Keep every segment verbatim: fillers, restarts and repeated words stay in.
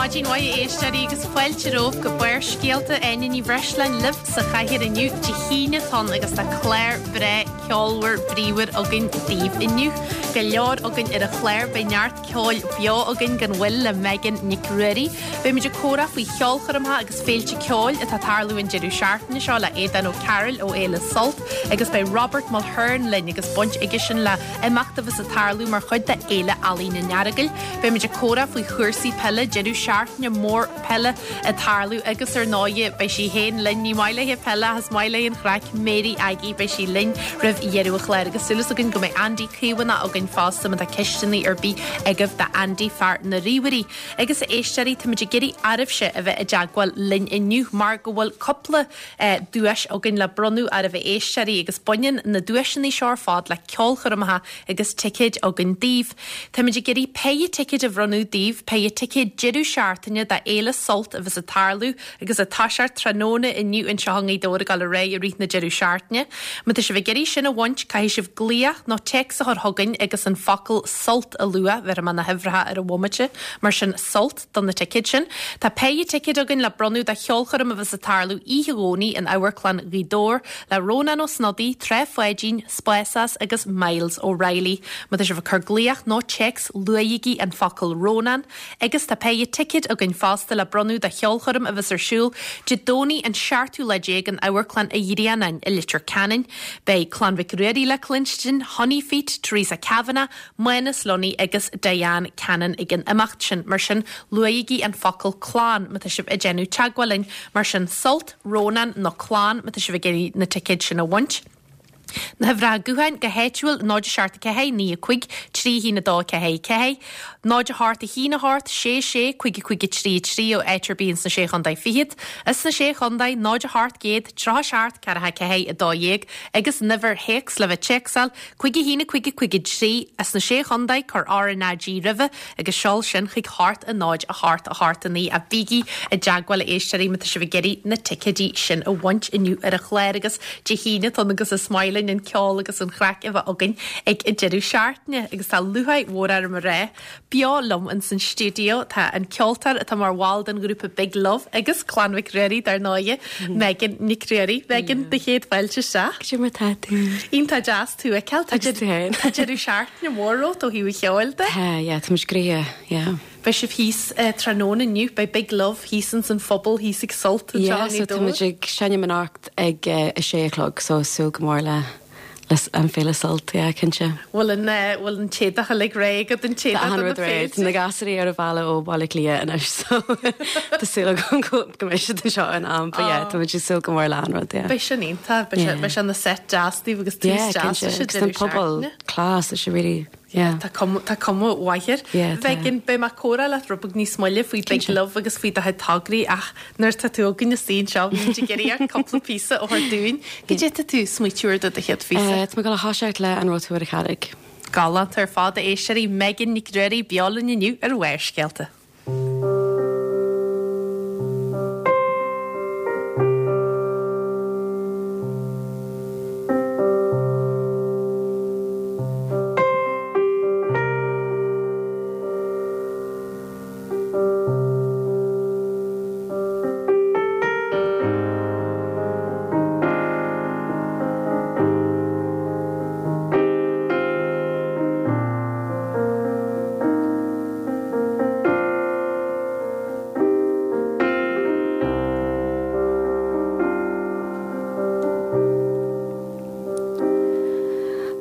Maidin mhaith a éisteoirí agus fáilte romhaibh go Barrscéalta Áine Ní Bhreisleáin libh sa chathaoir inniu Dé hAoine atá ann agus tá clár breá ceolmhar bríomhar againn daoibh inniu. Go leor againn ar an chlár beidh neart ceoil beo againn gan mhoill le Megan Nic Ruairí. Beimid ag comhrá faoi cheolchoirmeacha agus féilte ceoil atá ag tarlú an deireadh seachtaine seo le Aodán Ó Cearúil ó Fhéile Sult agus beidh Robert Mulhern linn agus baint aige sin le imeacht a bheas ag tarlú mar chuid de Fhéile Ealaíon an Earagail. Beimid ag comhrá faoi chúrsaí peile deireadh seachtaine mór peile ag tarlú agus ar ndóigh beidh sí féin linn ní maith léi peile is maith léi an chraic Mary Aggie beidh sí linn roimh dheireadh an chláir agus súil againn go mbeidh Andy Caomhánach againn fosta má tá ceisteanna ar bith agaibh do Andy fear na ríomhairí. Agus a éisteoirí táimid ag iarraidh oraibhse a bheith i dteagmháil linn inniu mar go bhfuil cúpla eh, duais againn le bronnadh oraibh a éisteoirí agus baineann na duaiseanna seo ar fad le ceolchoirmeacha agus ticéid againn daoibh. Táimid ag iarraidh péire ticéid a bhronnadh daoibh, péire ticéid deireadh seachtaine do Fhéile Sult a bheas ag tarlú agus ag toiseacht tráthnóna inniu anseo i nGaoth Dobhair ag dul ar aghaidh i rith na deireadh seachtaine. Má tá sibh ag iarraidh sin a bhaint caithfidh sibh glaoch nó téacs a chur chugainn agus an focal sult a lua bheir na huimhreacha ar an bhomaite mar sin sult do na ticéid sin. Tá péire ticéid againn le bronnadh do cheolchoirm a bheas ag tarlú oíche Dhomhnaigh in Amharclann Ghaoth Dobhair le Rónán Ó Snodaigh, Trá Pháidín, Spásás agus Miles O'Reilly. Má tá sibh ag cur glaoch nó téacs luaigí an focal Rónán, agus tá péire ticéid againn fosta le bronnadh do cheolchoirm a bheas ar siúl Dé Domhnaigh an seachtú lá déag in Amharclann an Ghrianáin i Leitir Ceanainn. Beidh Clann Mhic Ruairí le cluinstin, Honeyfeet, Teresa Kavanagh, Mánas Lunny agus Diane Cannon ag an imeacht sin mar sin luaigí an focal clann má tá sibh ag déanamh teagmháil linn mar sin sult, Rónán nó clann má tá sibh ag iarraidh na ticéid sin a bhaint. Na huimhreacha gutháin go háitiúil náid seacht ceathair naoi cúig trí haon a dó ceathair ceathair, náid a hocht a haon a hocht sé sé cúig cúig trí trí ó áit ar bith sna sé chontae fichead, is sna sé chontae náid a hocht céad tríocha seacht ceathracha ceathair a dó dhéag agus an uimhir théacs le bheith téacsáil cúig haon cúig cúig trí as na sé chontae cuir R na G roimhe agus seol sin chuig hocht a náid a hocht a hocht a naoi a bígí i dteagmháil a éisteoirí má tá sibh ag iarraidh na ticéidí sin a bhaint inniu ar an chlár agus Dé hAoine atá ann agus is maith linn an ceol agus an chraic a bheith againn ag an deireadh seachtaine agus tá lúcháir mhór orm a rá beo liom in san stiúideo tá an ceoltóir atá mar bhall den ghrúpa Big Love agus Clann Mhic Ruairí dar ndóigh Megan Nic Ruairí Megan do chéad fáilte isteach. Cad é mar tá tú? Iontach deas tú a fheiceáil Agus tú féin. Tá deireadh seachtaine mór romhat ó thaobh an cheoil de. Tá, yeah, tá muid gnoitheach, yeah. Beidh sibh thíos eh, tráthnóna inniu, beidh Big Love thíos in san phuball thíos ag Sult anseo Yeah, so i tá muid ag seinm anocht ag uh, a sé a chlog, so súil go mór le le an féile Sult, yeah, cinnte. Bhfuil an eh, bhfuil an t-éadach uilig réidh agat an Tá t-éadach an do na rud réidh, féilte? na gasúir ar an bhealach ó Bhaile Átha Cliath anois, so tá súil agam go go mbeidh siad anseo in am, but yeah, tá muid ag súil go mór le an rud, yeah. Beidh sin iontach, beidh sé Yeah. beidh sé ina set deas daoibh agus tús Yeah, deas cinnte. leis an Agus an deireadh pobal seachtaine. class, is really, yeah. Tá cuma tá cuma mhaith air. Yeah, tá. Megan beidh mé ag comhrá leat rud beag níos moille faoi Big Cinnte. Love agus faoi do chuid tograí ach nuair tá tú againn istigh anseo bhí ag iarraidh cúpla píosa a thabhairt dúinn. Cad é tá tú ag smaoitiú air do do chéad phíosa. Uh, tá mé ag dul a thoiseacht le an raibh tú ar an charraig. Galánta ar fad a éisteoirí Megan Nic Ruairí beo linn inniu ar Bharrscéalta.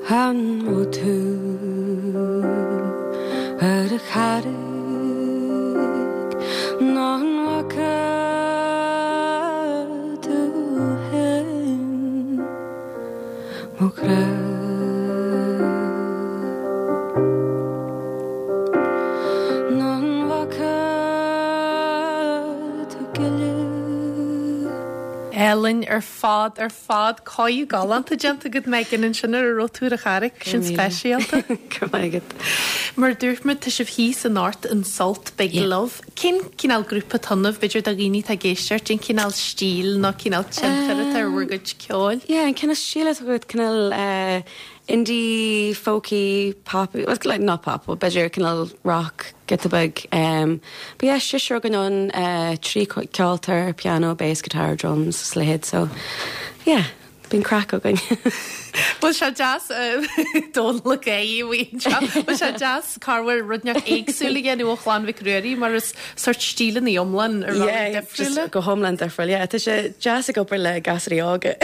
An raibh tú ar an charraig nó an bhfaca tú féin mo chrá. Nó an bhfaca tú gile. Álainn ar fad ar fad cóiriú galánta déanta agat Megan ansin ar an raibh tú ar an charraig sin speisialta. Go maith agat. Mar dúirt muid tá sibh thíos anocht in Sult Big Yeah. Love. Cén cineál grúpa atá ionaibh b'fhéidir do dhaoine atá ag éisteacht, cén cineál stíl nó cineál tionchar atá ar bhur gcuid ceoil? Yeah, an cineál stíl atá agat cineál uh, indie, folky, pop, well, like not pop, but b'fhéidir cineál rock, giota beag. Um, but yeah, seisear againn ann uh, trí ceoltóir, piano, bass, guitar, drums, slid, so yeah, bíonn craic againn. Bhfuil sé deas Dónal é Bhfuil sé deas carhfuil rud éagsúil a dhéanamh ó Chlann Mhic Ruairí mar is sort stíleanna iomlán ar Yeah, just go hiomlán difriúil. Yeah, tá sé deas ag obair le gasúir óga.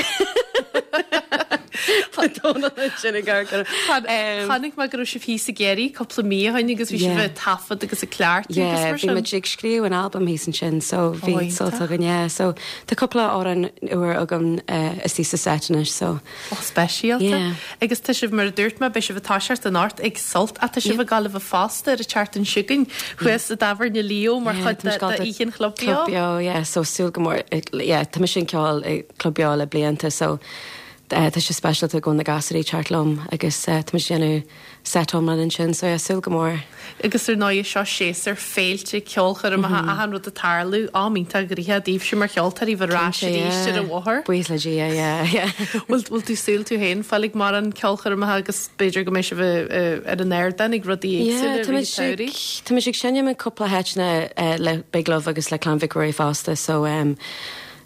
Dónal sin gar Chonaic mé go raibh sibh thíos i gCiarraí cúpla mí ó shin agus bhí Yeah. sibh taifead agus ag cleachtadh Yeah, bhí muid ag scríobh an album thíos ansin, so bhí iontach. sult againn, yeah. So tá cúpla amhrán úr agam uh, istigh sa set anois, so Ó speisialta. Yeah. Agus tá sibh mar a dúirt mé beidh sibh ag toiseacht anocht ag Sult ach tá sibh ag gabháil a bheith fosta ar an tseachtain seo chugainn thuas i dtábhairne Leo mar Yeah, chuid tá muid de ag oíche an Chlub Beo. Club Beo, yeah, so súil go mór, yeah, tá mise ag ceol ag Club Beo le blianta, so uh, tá sé speisialta go na gasúir teacht liom agus uh, tá muid déanamh set iomlán ansin, so yeah, súil go mór. Agus ar ndóigh seo séasúr féilte ceolchoirmeacha achan rud ag tarlú am iontach gnoitheach daoibhse mar cheoltóirí bheith ar ais arís ar an bhóthar. Buíochas le Dia, yeah, yeah. Bhfuil bhfuil tú súil tú féin fáil ag mar an ceolchoirmeacha agus b'fhéidir go mbeidh sibh ar an ardán ag rudaí Yeah, éagsúla tá i rith an tsamhraidh. Tá muid ag seinm in cúpla háiteanna uh, le Big Love agus le Clann Mhic Ruairí fosta, so um,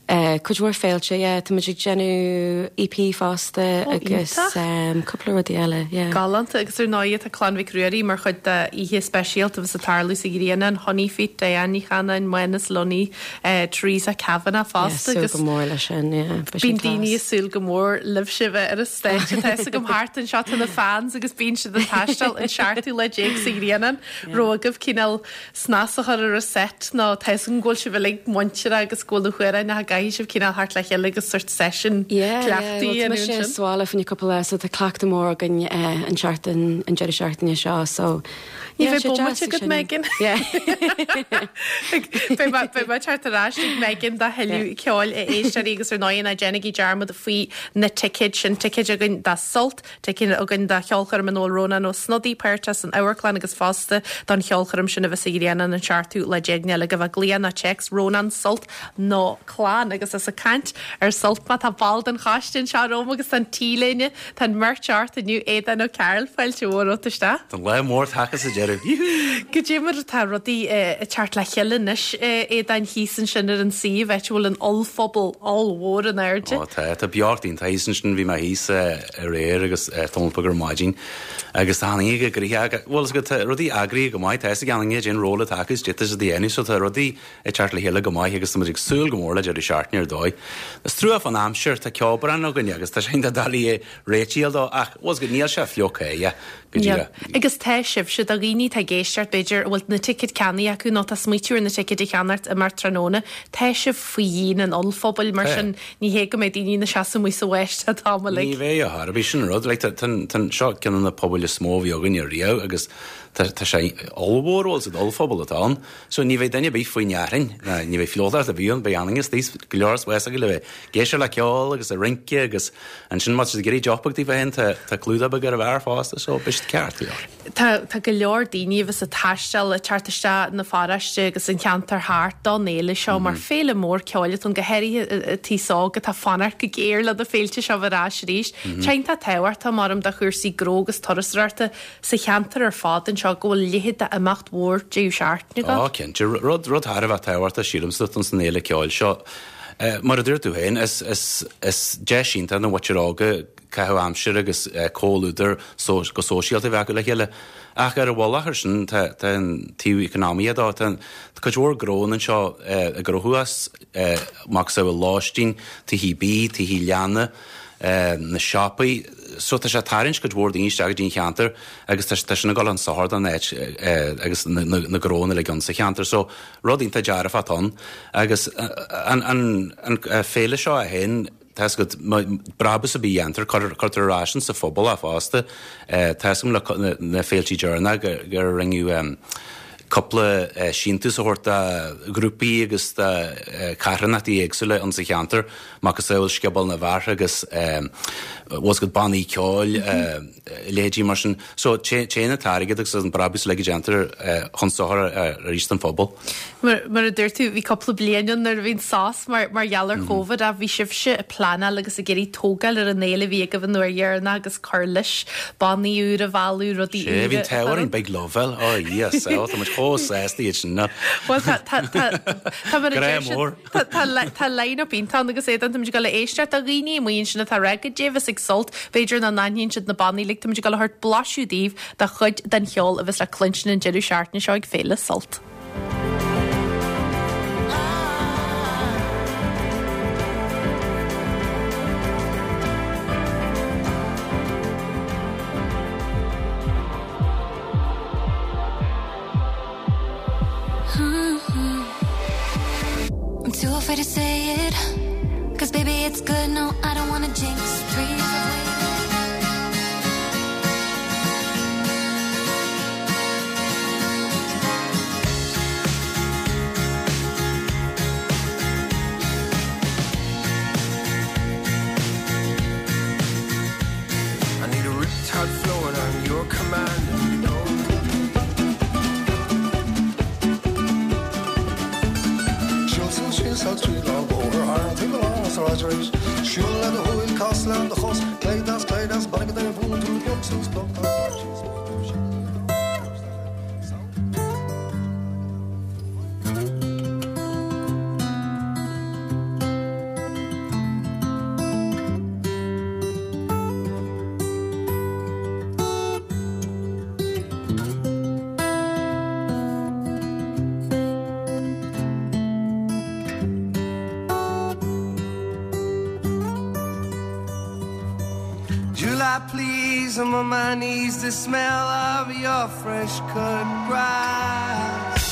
uh, cuid mhór féilte, yeah, tá muid ag déanamh EP fosta Ó, agus iontach. um, cúpla rudaí eile, yeah. Galánta agus ar ndóigh tá Clann Mhic Ruairí mar chuid de oíche speisialta bheas ag tarlú sa Ghrianán Honey Feet, Diane Ní Chanainn, Mánas Lunny, eh, Theresa Kavanagh Yeah, fosta súil agus go mór leis sin, yeah. beidh sin Bíonn daoine class. ag súil go mór libhse bheith ar an stáitse tá go thart anseo tá na fans agus bíonn siad ag taisteal an seachtú lá déag sa Ghrianán raibh agaibh cineál snas a chur ar an set nó tá an ghfuil sibh uilig muinteartha agus go bhfuil chuir na gcaithfidh sibh cineál thart le chéile agus sort session Yeah, cleachtaí yeah, an well, tá mise sin. sa bhaile fá choinne cúpla so tá cleachtadh mór againn uh, an seachtain an deireadh seachtaine seo so Ní yeah, bheidh sé bomaite deas ag agat seinm. Megan. Yeah. Beidh mé teacht ar ais ag Megan do thuilleadh ceoil a éisteoirí agus ar ndóigh ná déanaigí dearmad faoi na ticéid sin ticéid againn do Sult, ticéid againn do cheolchoirm an Rónán Ó Snodaigh páirteach san amharclann agus fosta don cheolchoirm sin a bheas sa Ghrianán an seachtú lá déag Nollaig a bheith glaoch nó téacs Rónán Sult nó Clann agus as ag caint ar Sult má tá ball den choiste anseo romham agus an T-léine tá an merch ort inniu Aodán Ó Cearúil fáilte mhór romhat isteach. Tá lá mór tagtha sa deireadh. Go dé mar atá rudaí ag teacht le chéile anois Aodáin thíos ansin ar an suíomh áit a bhfuil an ollphuball ollmhór in airde. Ó tá tá beocht iontach ansin bhí mé thíos aréir agus tamall beag ar maidin agus tá go grí bhfuil go rudaí eagraithe go maith tá gan den ról agus dit is déanú so tá rudaí ag teacht le chéile go maith agus tá ag súil go mór le deireadh seachtaine ar dóigh. Is trua an aimsir tá ceobhrán againne agus tá sé doiligh réiteach dó ach was go níl sé fliuch é go Yeah. Agus tá sibhse do dhaoine atá ag éisteacht b'fhéidir bhfuil na ticéid ceannaithe acu nó tá smaoitiú ar na ticéid a cheannacht amach tráthnóna, Tá sibh faoi dhíon an ollphubaill mar Tá. sin ní hé go mbeidh daoine ina seasamh amuigh sa bháisteach tá Ní bheidh a thar bhí sin rud le seo ceann de na pubaill is mó a bhí againn riamh agus tá tá sé ollmhór sa ollphuball atá ann, so ní bheidh duine bith faoi nearin, ní bheidh fliuchadh a bhíonn be agus tíos go leor wees le bheith éisteacht le ceol agus ag rince agus ansin má ag iarraidh deoch beag féin tá clúdach beag ar a bhear fosta so beidh ceart leor. Tá tá go leor daoine bheas ag taisteal ag teacht isteach na paróiste agus an ceantar thart don fhéile seo mar féile mór ceoil atá go háirithe tí óg atá fanacht go géar le na féilte seo ar ais arís. Tá tábhacht mar am do chúrsaí gnó agus turasóireachta sa cheantar ar fad anseo go bhfuil leithéid d'imeacht mhór deireadh seachtaine Á cinnte rud rud thar a bheith tábhachtach sílimsa don san fhéile ceoil seo. Eh, Mar a dúirt tú féin is is is deis iontach na mhuintir óga caitheamh aimsire agus eh, comhluadar so, go sóisialta bheith le chéile. Ach ar a bhhuach sin tá an taobh eacnamaíoch dó tá cuid mhór gnó anseo ag gnóthú as mac sa bhfuil lóistín, tithe bídh, tithe leanna, na siopaí, so tá sé tarraingt cuid mhór daoine isteach go dtí an cheantar agus tá sin ag dul chun sochair don áit agus na gnónna le gan sa cheantar, so rud iontach dearfach ann agus an, an, an féile seo a haon Tá go brabús a bí dhéantar cuirtear ar ais sa phobal a fosta Tá le na féiltí deireanacha gur rinneadh cúpla síntiús a thabhairt do ghrúpaí agus do charthanachtaí éagsúla insa cheantar, macasamhail Scioból na bhFear agus bhfuil go bannaí ceoil, leithéidí mar sin. So téann an t-airgead agus an brabús uilig a déantar chun sochair arís don phobal. Mar a dúirt tú, bhí cúpla bliain ann nuair a bhí an sos mar mar gheall ar Covid ach bhí sibhse ag pleanáil agus ag iarraidh tógáil ar an fhéile a bhí agaibh an uair dheireanach agus cur leis, bannaí úra a mhealladh, rudaí Sé, úra bhí an t-ádh orainn Big Love a fháil. Ó, Dhia, tá muid chomh sásta iad sin. Bhuel, tá tá tá tá mar a Grá deir siad, mór. tá tá tá line-up iontach ann agus é tá muid ag dul a éisteacht do dhaoine amuigh ansin atá ag rá goidé a bheas ag Sult, b'fhéidir nach n-aithníonn siad na bannaí uilig, tá muid ag dul a thabhairt blaiseadh daoibh de chuid den cheol a bheas le cluinstin an deireadh seachtaine seo ag Féile Sult. I'm too afraid to say it. Cause baby, it's good. No, I don't wanna jinx. Three years of waiting. I need a riptide flowing on your command. No. Siúl síos trí lá bóthar ar timpeall an sráid arís. Siúl le do shúil cas le do chos, clé deas clé deas bain go bhuail tú beag suas July, please, I'm on my knees. The smell of your fresh cut grass.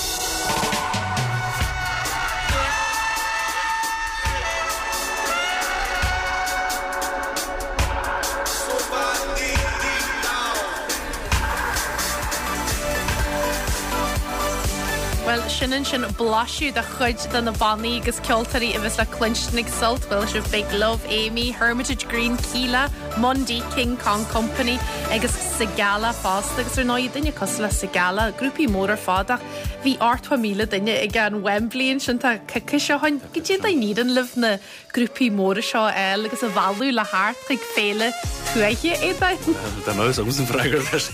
Well, sin ansin blaiseadh de chuid de na bannaí agus ceoltóirí a bheas le cluinstin ag Sult, bhfuil sibh Big Love, Amy, Hermitage Green, Keela, Mundy, King Kong Company agus Sigala fosta agus ar ndóigh duine cosúil le Sigala, grúpaí mór ar fad ach bhí ochtó míle duine ag an Wembley ansin tá coicís ó shin. Goidé a n-éiríonn libh na grúpaí móra seo eil agus a mhealladh le theacht chuig féile tuaithe é Tá mouse agus an freagra leis.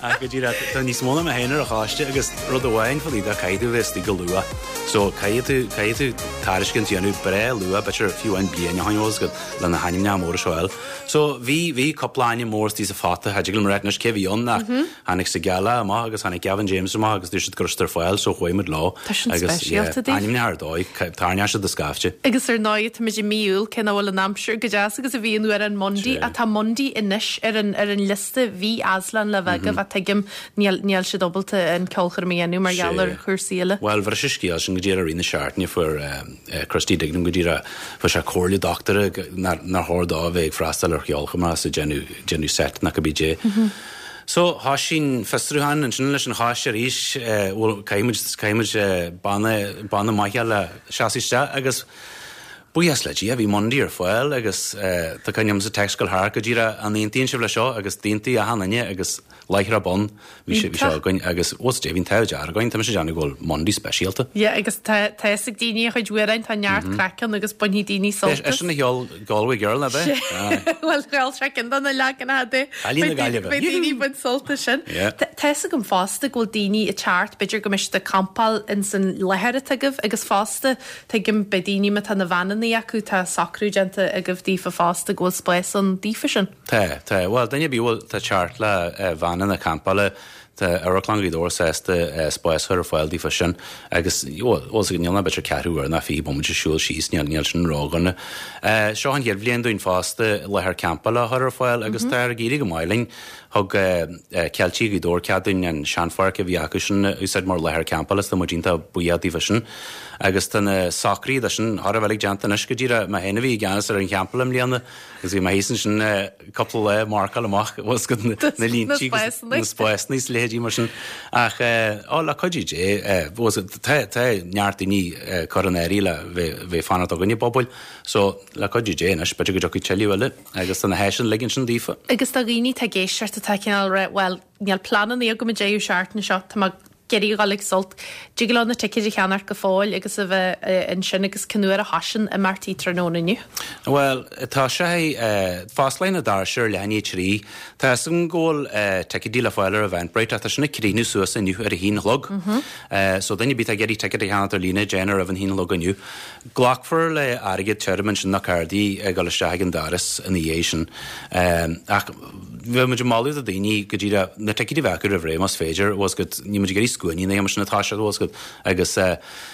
Ach go díreach tá níos mó ná mé féin ar an choiste agus rud amháin faoi de caithfidh tú bheith istigh go luath. So caithfidh tú caithfidh tú tairiscint a dhéanamh breá luath b'fhéidir fiú an bliain ó shin go le na hainmneacha móra seo eil. So bhí bhí cúpla ainm mór istigh sa phota cha dtig liom a rá anois cé bhí ann ach tháinig Sigala amach agus tháinig Gavin James amach agus dúirt siad go raibh siad ar fáil so chuaigh muid leo. Tá sin Agus, speisialta yeah, daoibh. ainmneacha ar dóigh tarraingeoidh siad de scaifte. Agus ar ndóigh tá muid i mí Iúil cé nach bhfuil an aimsir go deas agus a bhí an uair an Mundy Sé. a tá Mundy anois ar an ar an liosta bhí Aslan le bheith mm -hmm. tuigim níl níl siad ábalta an ceolchoirm a dhéanamh mar gheall ar Sé. chúrsaí eile. Well, bhí sé scéal sin go dtí ar na seachtaine fuair Christy Dignam go dtí fuair sé comhairle dochtúra nár chóir dó bheith ag freastal ar cheolchoirm as déanamh set nach bí dé. So thosaigh an fiosrúchán ansin leis an choiste arís bhfuil caithfimid banna banna maith le seasamh isteach agus buíochas le Dia bhí Mundy ar fáil agus tá cuimhne agam sa text go thar go dtí an aontaíonn sibh le seo agus d'aontaigh achan duine agus láithreach bonn bhí sé bhí seo againn agus was Dé bhí'n t-ádh dearg againn tá sé déanamh go bhfuil Mundy speisialta. Ja, agus tá tá ag daoine a chuid amhrán tá neart craiceann agus bainfidh daoine sult. É sin a cheol Galway Girl na be? Well cheol sé cinn na leagan de Cailín na Gaillimhe. Beidh daoine bain sult as sin. Yeah. Tá gom fosta go bhfuil daoine ag teacht b'fhéidir go mbeidh siad ag campáil in san láthair atá agaibh agus fosta tuigim beidh daoine má tá na veaineanna acu tá socrú déanta agaibh daofa fosta go bhfuil spás ann daofa sin. Tá, tá, well duine bí bhfuil tá teacht le veaineanna campála Tá Amharclann Ghaoth Dobhair sásta spás a chur ar fáil daofa sin agus níl ná b'fhéidir ceathrú uair ná fiche bomaite siúl síos níl níl sin ródhona. Seo an chéad bhliain dúinn fosta láthair campála a chur ar fáil agus tá ag éirí go maith linn thug Ceiltigh Ghaoth Dobhair cead dúinn an seanpháirc a bhí acu sin úsáid mar láthair campála is tá muid iontach buíoch daofa sin. Agus tá na socruithe de sin thar a bheith déanta anois go díreach mé féin a bhí i gceannas ar an champa i mbliana agus bhí mé thíos ansin cúpla lá marcáil amach was go na línte na spásanna is leithéidí leithéidí mar sin. Ach ó, le cuidiú Dé, tá tá neart daoine curtha in áirithe le bheith bheith fanacht againn i bpobail, so le cuidiú Dé anois, b'fhéidir go dtiocfaidh tuilleadh eile agus tá na háiseanna uilig ansin daofa. Agus do dhaoine atá ag éisteacht atá cineál rá, bhuel, níl pleananna agam an deireadh seachtaine seo, tá mé ag iarraidh a dhul ag Sult, dtig leo na ticéid a cheannacht go fóill agus a bheith ansin agus cén uair a thosaíonn imeachtaí tráthnóna inniu? Bhuel, tá sé, fosclaíonn na doirse ar leath i ndiaidh a trí. Tá a fhios agam go bhfuil ticéidí le fáil ar Eventbrite ach tá sin ag críochnú suas inniu ar a haon a chlog. So duine ar bith atá ag iarraidh ticéad a cheannacht ar líne, déan é roimh an haon a chlog inniu. Glacfar le airgead tirim ansin nó cárdaí ag dul isteach ag an doras ina dhiaidh sin. Ach bheadh muid ag moladh do dhaoine go díreach na ticéid a bheith acu roimh ré más féidir, bhfuil 's agat, níl muid ag iarraidh scuainí nó mar sin atá siad, bhfuil 's agat, agus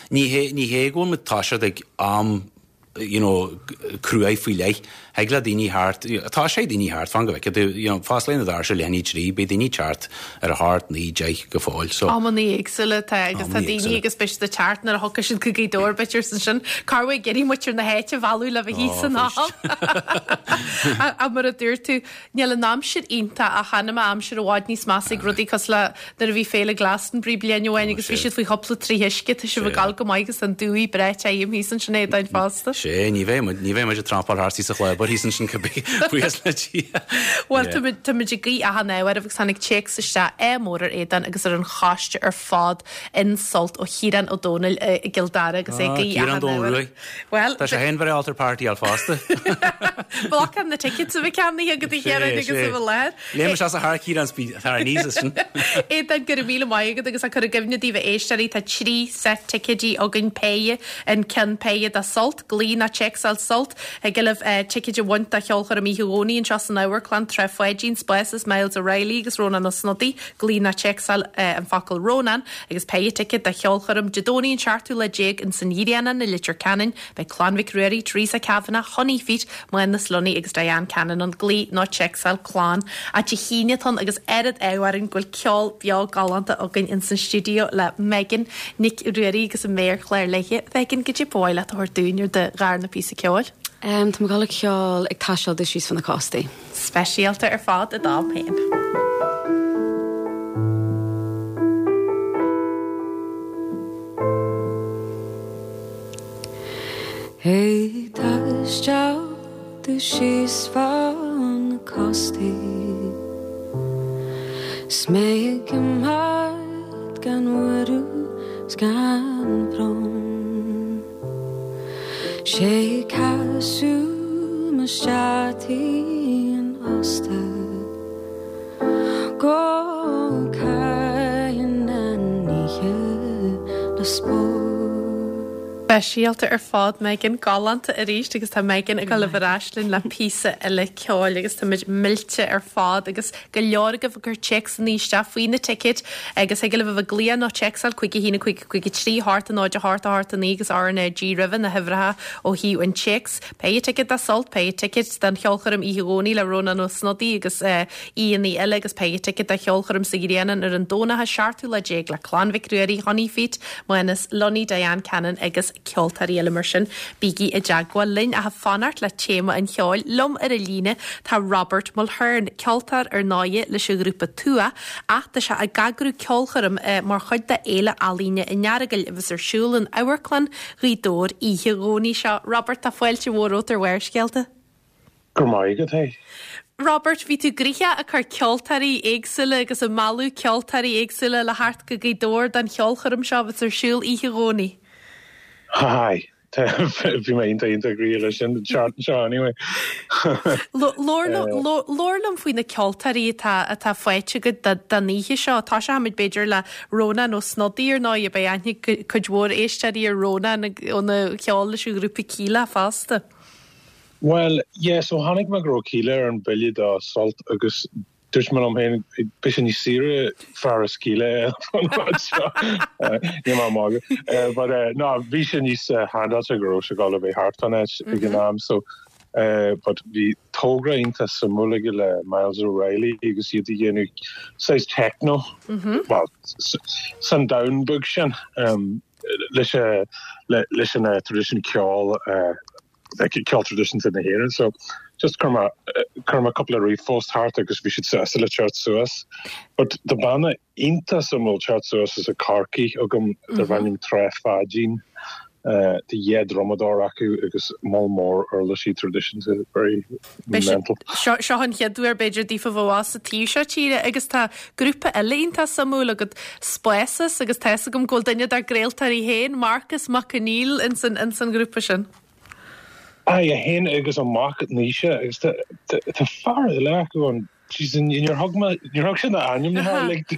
ní hé, ní hé go bhfuil muid toiseacht ag am you know, cruaidh faoi leith. Thig le daoine thart, tá sé daoine thart, fan go bhfeice tú, you know, fosclaíonn na doirse leath i ndiaidh a trí, beidh daoine thart ar a hocht, naoi, deich go fóill. So. Amanna éagsúla atá agus tá daoine agus beidh siad ag teacht nuair a thiocfaidh siad go Gaoth Dobhair b'fhéidir ansin. Cá bhfuil ag iarraidh muintir na háite a mhealladh le bheith thíos san am. Ach mar a dúirt tú, níl an aimsir iontach ach chan an aimsir i bhfad níos measa ag rudaí cosúil le nuair a bhí Féile Glastonbury bliain amháin agus bhí siad faoi chúpla troigh uisce, tá sibh ag gabháil go maith agus an dúigh breá tirim thíos ansin Aodáin fosta. Sé, ní bheidh muid, ní bheidh muid ag trampáil thart thíos sa chlábar thíos ansin cibé, buíochas le Dia. Bhuel, tá muid, tá muid ag guí achan ádh oraibh agus tháinig téacs isteach ádh mór ar Aodán agus ar an choiste ar fad in Sult ó Chiarán Ó Dónaill i gCill Dara agus é ag Ah, guí Ciarán achan Dún ádh oraibh. Ruaidh. Bhuel, Tá sé féin very alter party al fosta. Blocáil na tickets a bheith ceannaithe agat a Chiaráin agus a bheith láthair. Léim sé as a thar Ciarán speed thar aníos as sin. Aodán, go raibh míle maith agat agus á cur i gcuimhne daoibh a éisteoirí tá trí set ticéidí againn péire an ceann péire do Sult, glaoigh nó téacsáil Sult thig libh ticéid a bhaint do cheolchoirm oíche Dhomhnaigh anseo san Amharclann, Trá Pháidín, Spáses, Myles O'Reilly agus Rónán Ó Snodaigh, glaoigh nó téacsáil an focal Rónán agus péire ticéad do cheolchoirm Dé Domhnaigh an seachtú lá déag ins an Ghrianán i Leitir Ceanainn. Beidh Clann Mhic Ruairí, Teresa Kavanagh, Honey Feet, Mánas Lunny agus Diane Cannon ann, glaoigh nó téacsáil Clann. Ach Dé hAoine atá ann agus oiread ádh orainn go bhfuil ceol beo galánta againn ins an stiúideo le Megan Nic Ruairí agus an méarchlár léi. Megan, goidé ba mhaith leat a thabhairt dúinn ar do dharna píosa ceoil. Um, tá mé ag gabháil a ceol ag taisteal domh síos fan na cóstaí. Speisialta ar fad i d'am féin. Ag taisteal domh síos fan na cóstaí 'S mé ag imeacht gan mhoilliú 's gan brón 'Sé casadh mo sheataí an ósta Go cailleann an oíche na spóir. Speisialta ar fad Megan galánta arís agus tá Megan ag dul ar ais linn le píosa eile ceoil agus táimid millte ar fad agus go leor agaibh ag cur téacsanna isteach faoi na ticéid agus thig libh a bheith ag glaoch nó téacsáil cúig a haon a cúig a cúig a trí hocht a náid a hocht a hocht a naoi agus R N A G roimhe na huimhreacha ó thaobh an téacs. Péire ticéad do Sult, péire ticéad don cheolchoirm Oíche Dhomhnaigh le Rónán Ó Snodaigh agus aíonna eile agus péire ticéad do cheolchoirm sa Ghrianán ar an Domhnach an seachtú lá déag le Clann Mhic Ruairí, Honey Feet, Mánas Lunny, Diane Cannon agus ceoltóirí eile mar sin. Bígí i dteagmháil linn ach ag fanacht le téama an cheoil liom ar an líne tá Robert Mulhern, ceoltóir ar ndóigh leis an ghrúpa Tuath, ach tá sé ag eagrú ceolchoirm mar chuid de Fhéile Ealaíne an Earagail a bheas ar siúl in Amharclann Ghaoth Dobhair oíche Dhomhnaigh seo. Robert, tá fáilte mhór romhat ar Bharrscéalta. Go maith agat é. Robert, bhí tú gnoitheach ag cur ceoltóirí éagsúla agus ag mealladh ceoltóirí éagsúla le theacht go Gaoth Dobhair don cheolchoirm seo a bheas ar siúl oíche Dhomhnaigh. Hi. Bhí mé iontach iontach gnoitheach leis sin an tseachtain seo anyway. Labhair liom faoi na ceoltóirí atá atá faighte agat don oíche seo. Tosóimid b'fhéidir le Rónán Ó Snodaigh ar ndóigh, beidh aithne ag cuid mhór éisteoirí ar Rónán óna cheol leis an ghrúpa Kíla fosta. Well, yeah, so tháinig mé go raibh Kíla ar an bille do Sult agus dúirt mé liom féin beidh sé níos saoire fear as Kíla an rud seo. Níl mé ag magadh. But no, bhí sé níos handáilte go raibh sé ag dul a bheith thart fán áit ag an am so but bhí togra iontach suimiúil aige le Myles O'Reilly agus iad ag déanamh saghas techno, well, san domhan beag sin leis leis an traidisiún ceoil like ceol traidisiúnta na hÉireann so just chuir mé chuir mé cúpla ríomhphost thart agus bhí siad sásta le teacht suas. But tá banna iontach suimiúil teacht suas as Corcaigh agam darb ainm Trá Pháidín. Tá dhá dhrumadóir acu agus moll mór uirlisí traidisiúnta very mental. Seo seo an chéad uair b'fhéidir daofa bheith as sa taobh seo tíre agus tá grúpa eile iontach suimiúil agat Spásas agus tá a fhios agam go bhfuil duine dár gcraoltóirí féin, Marcus Mac Conghail ins an ins an ghrúpa sin. Aye, é féin agus a mhac Naoise agus tá tá fear eile acu an Jeez, níor thug mé níor thug sé na ainmneacha like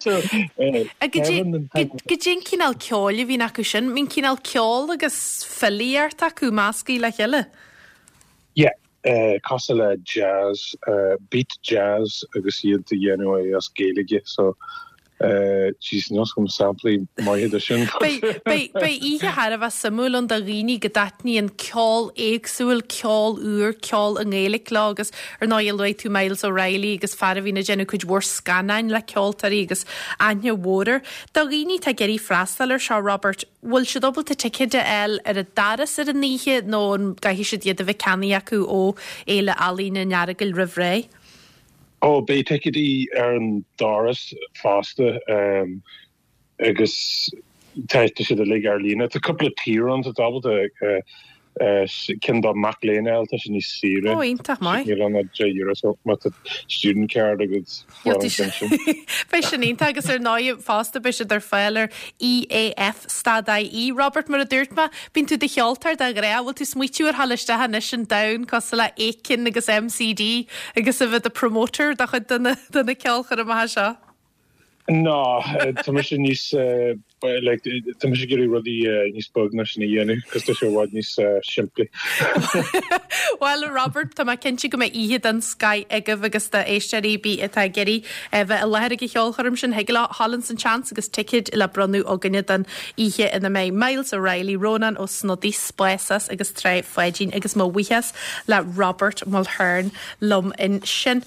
so Kevin Goidé an cineál ceoil a bhíonn acu sin, mbíonn cineál ceol agus filíocht acu measctha le chéile. Yeah, uh, cosúil le jazz, uh, beat jazz agus iad a dhéanamh é as Gaeilge so Jeez, níl agam samplaí maithe de sin. Beidh oíche thar a bheith suimiúil ann do dhaoine go dtaitníonn ceol éagsúil, ceol úr, ceol i nGaeilge leo agus ar ndóigh luaigh tú Myles O'Reilly agus fear a bhíonn ag déanamh cuid mhór scannáin le ceoltóirí agus aithne mhór air. Do dhaoine atá ag iarraidh freastal air seo, Robert, bhfuil siad ábalta ticéid a fháil ar an doras ar an oíche nó an gcaithfidh siad iad a bheith ceannaithe acu ó Fhéile Ealaíne an Earagail roimh ré? Ó, beidh ticéidí ar an doras fosta um, agus tá siad uilig ar líne. Tá cúpla tier ann tá ábalta uh, uh, ceann do mhic léinn a fháil tá sé níos saoire. Ó, iontach maith. Níl ann ach deich euro so má tá student card agat Beidh sin iontach agus ar ndóigh fosta beidh siad ar fáil ar EAF stad IE. Robert mar a dúirt mé, bíonn tú i do cheoltóir de ghnáth, bhfuil tú ag smaoitiú ar dhul isteach anois an domhan cosúil le Aiken agus MCD agus a bheith i do promoter do chuid de na de na ceolchoirmeacha seo? Ná, tá mise níos like, tá mise ag iarraidh rudaí níos beag ná sin a dhéanamh, cos tá sé i bhfad níos simplí. Bhuel, Robert, tá mé cinnte go mbeidh oíche den scoth agaibh agus do éisteoirí ar bith atá ag iarraidh bheith i láthair ag an cheolchoirm sin, thig leo dhul ins an tseans agus ticéid le bronnadh againne don oíche ina mbeidh Myles O'Reilly, Rónán Ó Snodaigh, Spásas agus Trá Pháidín agus mo bhuíochas le Robert Mulhern liom ansin.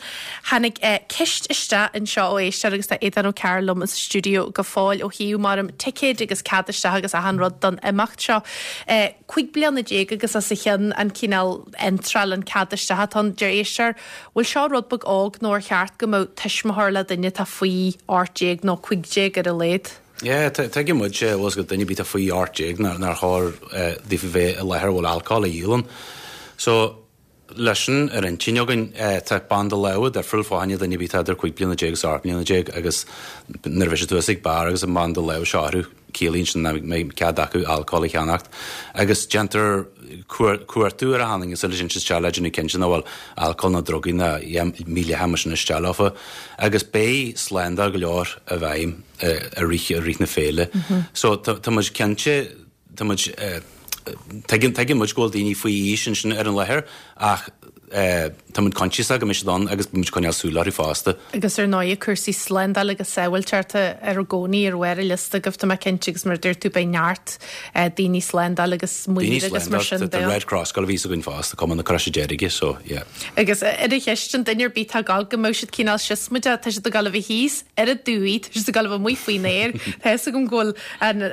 Tháinig ceist isteach anseo ó éisteoir agus tá Aodhán Ó Cearúil liom sa stiúideo go fóill ó thaobh mar ticéid agus cead isteach agus achan rud don imeacht seo. Cúig bliana déag agus os a chionn an cineál iontráil an cead isteach atá ann. Deir éisteoir, bhfuil seo rud beag óg nó ar cheart go mbeadh tuismitheoir le duine atá faoi ocht déag nó cúig déag ar a laghad? Yeah, tuigeann muid bhfuil go duine ar bith atá faoi ocht déag nár chóir daofa bheith i láthair a bhfuil alcól á dhíol ann. So, leis sin ar intinn againn, tá banda láimhe difriúil fá choinne duine ar bith atá idir cúig bliana déag agus ocht mbliana déag agus nuair a bheidh siad thuas ag beár agus an banda láimhe seo orthu, ciallaíonn sin nach mbeidh cead acu alcól a cheannacht. Agus déantar cuartú ar achan duine sula dtéann siad isteach le déanamh cinnte nach bhfuil alcól ná drugaí ná mídhleathach mar sin isteach leofa. Agus beidh slándáil go leor i bhfeidhm i rith i rith na féile. So tá muid cinnte, tá muid, tuigeann tuigeann muid go bhfuil daoine faoi aois ansin ar an láthair ach tá muid coinsiasach go mbeidh siad ann agus beidh muid ag coinneáil súil orthu fosta. Agus ar ndóigh cúrsaí slándála agus sábháilteachta i gcónaí ar bharr an liosta agaibh tá mé cinnte agus mar a dúirt tú beidh neart daoine slándála agus maoir agus mar sin de. Tá Red Cross ag dul a bheith againn fosta, Cumann na Croise Deirge, so yeah. Agus ar an cheist an duine ar bith atá ag gabháil go mbeadh siad cineál siosmaideach, tá siad ag gabháil a bheith thíos ar an dumhaigh, tá siad ag gabháil a bheith amuigh faoin aer, tá fhios agam go bhfuil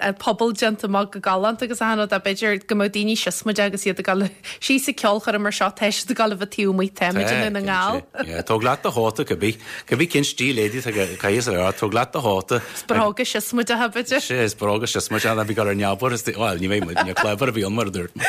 an pobal déanta amach go galánta agus achan rud ach b'fhéidir go mbeadh daoine siosmaideach agus iad ag gabháil síos ag ceolchoirm mar seo, tá siad ag gabháil a bheith taobh amuigh, táimid i nDún na nGall. Tóg leat do chóta cibé, cibé cén stíl éadaí atá ag caitheamh sa leabhar, tóg leat do chóta. Is bróga siosmaideacha b'fhéidir. Sea, is bróga siosmaideacha, ná bí ag gabháil ar neamhaird, is bhuel, ní bheidh muid, ní clever a bhí ann mar a dúirt mé.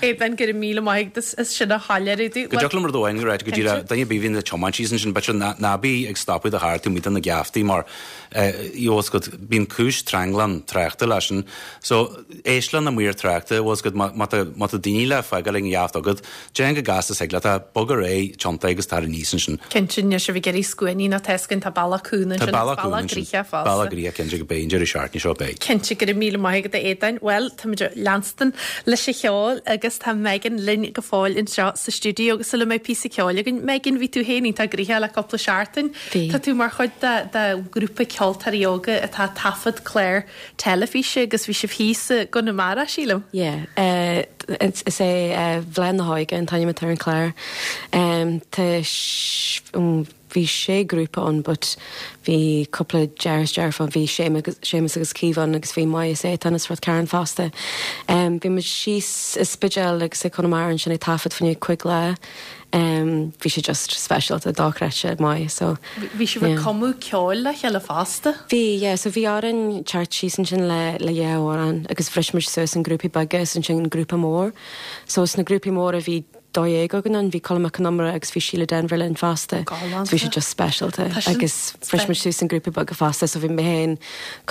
Aodhán, go raibh míle maith agat as sin a shoiléiriú dúinn. Go dtiocfadh liom rud amháin a ráit, go díreach, duine ar bith a bhíonn ag tiomáint síos ansin, b'fhéidir ná bí ag stopadh do charr taobh amuigh de na geaftaí mar bhfuil a fhios agat, bíonn cúis tranglam tráchta leis sin. So, éist le na maoir tráchta, bhfuil a fhios agat, má tá, má tá daoine le fágáil ag an gheaft agat, déan chomh gasta is thig leat é, bog ar aghaidh, tiontaigh agus tar aníos ansin. Cinnte, níl sibh ag iarraidh scuainí ná tá a fhios againn, tá bealach cúng ansin, Tá bealach cúng ansin. Bealach gnoitheach fosta. Bealach gnoitheach, cinnte, go beidh an deireadh seachtaine seo, beidh. Cinnte, go raibh míle maith agat a Aodáin. Bhuel, táimid ag leanstan leis an cheol agus tá Megan linn go fóill anseo sa stiúideo agus sula mbeidh píosa ceoil againn, Megan, bhí tú féin iontach gnoitheach le cúpla seachtain. Bhí. Tá tú mar chuid de de ghrúpa ceoltóirí óga atá ag taifead clár teilifíse agus bhí sibh thíos i gConamara, sílim? Yeah. Eh, is é eh, Bláth na hÓige an t-ainm atá ar an chlár. Tá bhí sé grúpa ann but bhí cúpla deartháir is deirfiúr ann bhí Séamus agus Caoimhe ann agus bhí Moya is Étáin as Ráth Cairn fosta. Um, bhí muid síos i Spidéal agus i Conamara ansin ag taifead fá choinne cúig lá. Um, bhí sé just speisialta dochreidte maith so Bhí sibh ag cumadh ceoil le chéile fosta? Bhí yeah, so bhí orainn teacht síos ansin le le dhá amhrán agus bhris muid suas in grúpaí beaga is ansin grúpa mór. So sna grúpaí móra bhí dó dhéag againn ann, bhí Colm Mac Con Iomaire agus bhí Síle Denvir linn fosta. Galánta. Bhí sé just speisialta Tá sin agus bhris muid suas in grúpaí beaga fosta, so bhí mé féin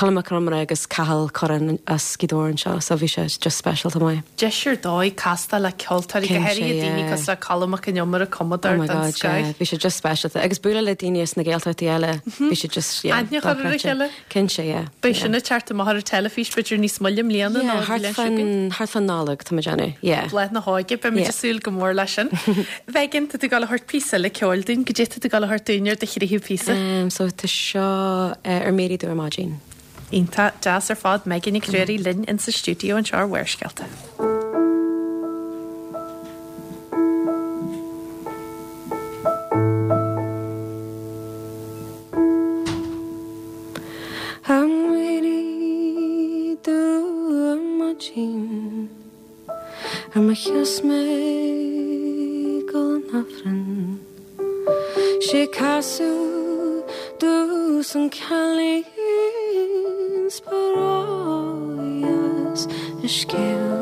Colm Mac Con Iomaire agus Cathal Curran as Gaoth Dobhair anseo, so bhí sé just speisialta maith. Deis ar dóigh castáil le ceoltóirí go Cinnte, háirithe daoine yeah. cosúil le Colm Mac Con Iomaire cumadóir Oh my den God, yeah. scoth. Bhí sé just speisialta agus bualadh le daoine as na Gaeltachtaí eile. Bhí sé just yeah, Aithne a chur ar a dochreidte. chéile. Cinnte, yeah. Beidh sin ag teacht amach ar an teilifís b'fhéidir níos moille i mbliana Yeah, ná thart bliain seo chugainn. fan thart fan Nollag tá muid ag déanamh. Yeah. Bláth na hóige, beidh muid Yeah. ag súil go mór leis sin. Megan, tá tú ag gabháil a thabhairt píosa eile ceoil dúinn, goidé tá tú ag gabháil a thabhairt dúinn ar do thríú píosa. Um, so tá seo uh, ar m'éirí dubh ar maidin. Iontach deas ar fad Megan Nic Ruairí linn in sa stiúideo anseo ar Bharrscéalta. Ar m'éirí dubh ar maidin Ar mo sheas mé ag dul an Aifreann Sé casadh domhsa an cailín 's ba ródheas an scéal.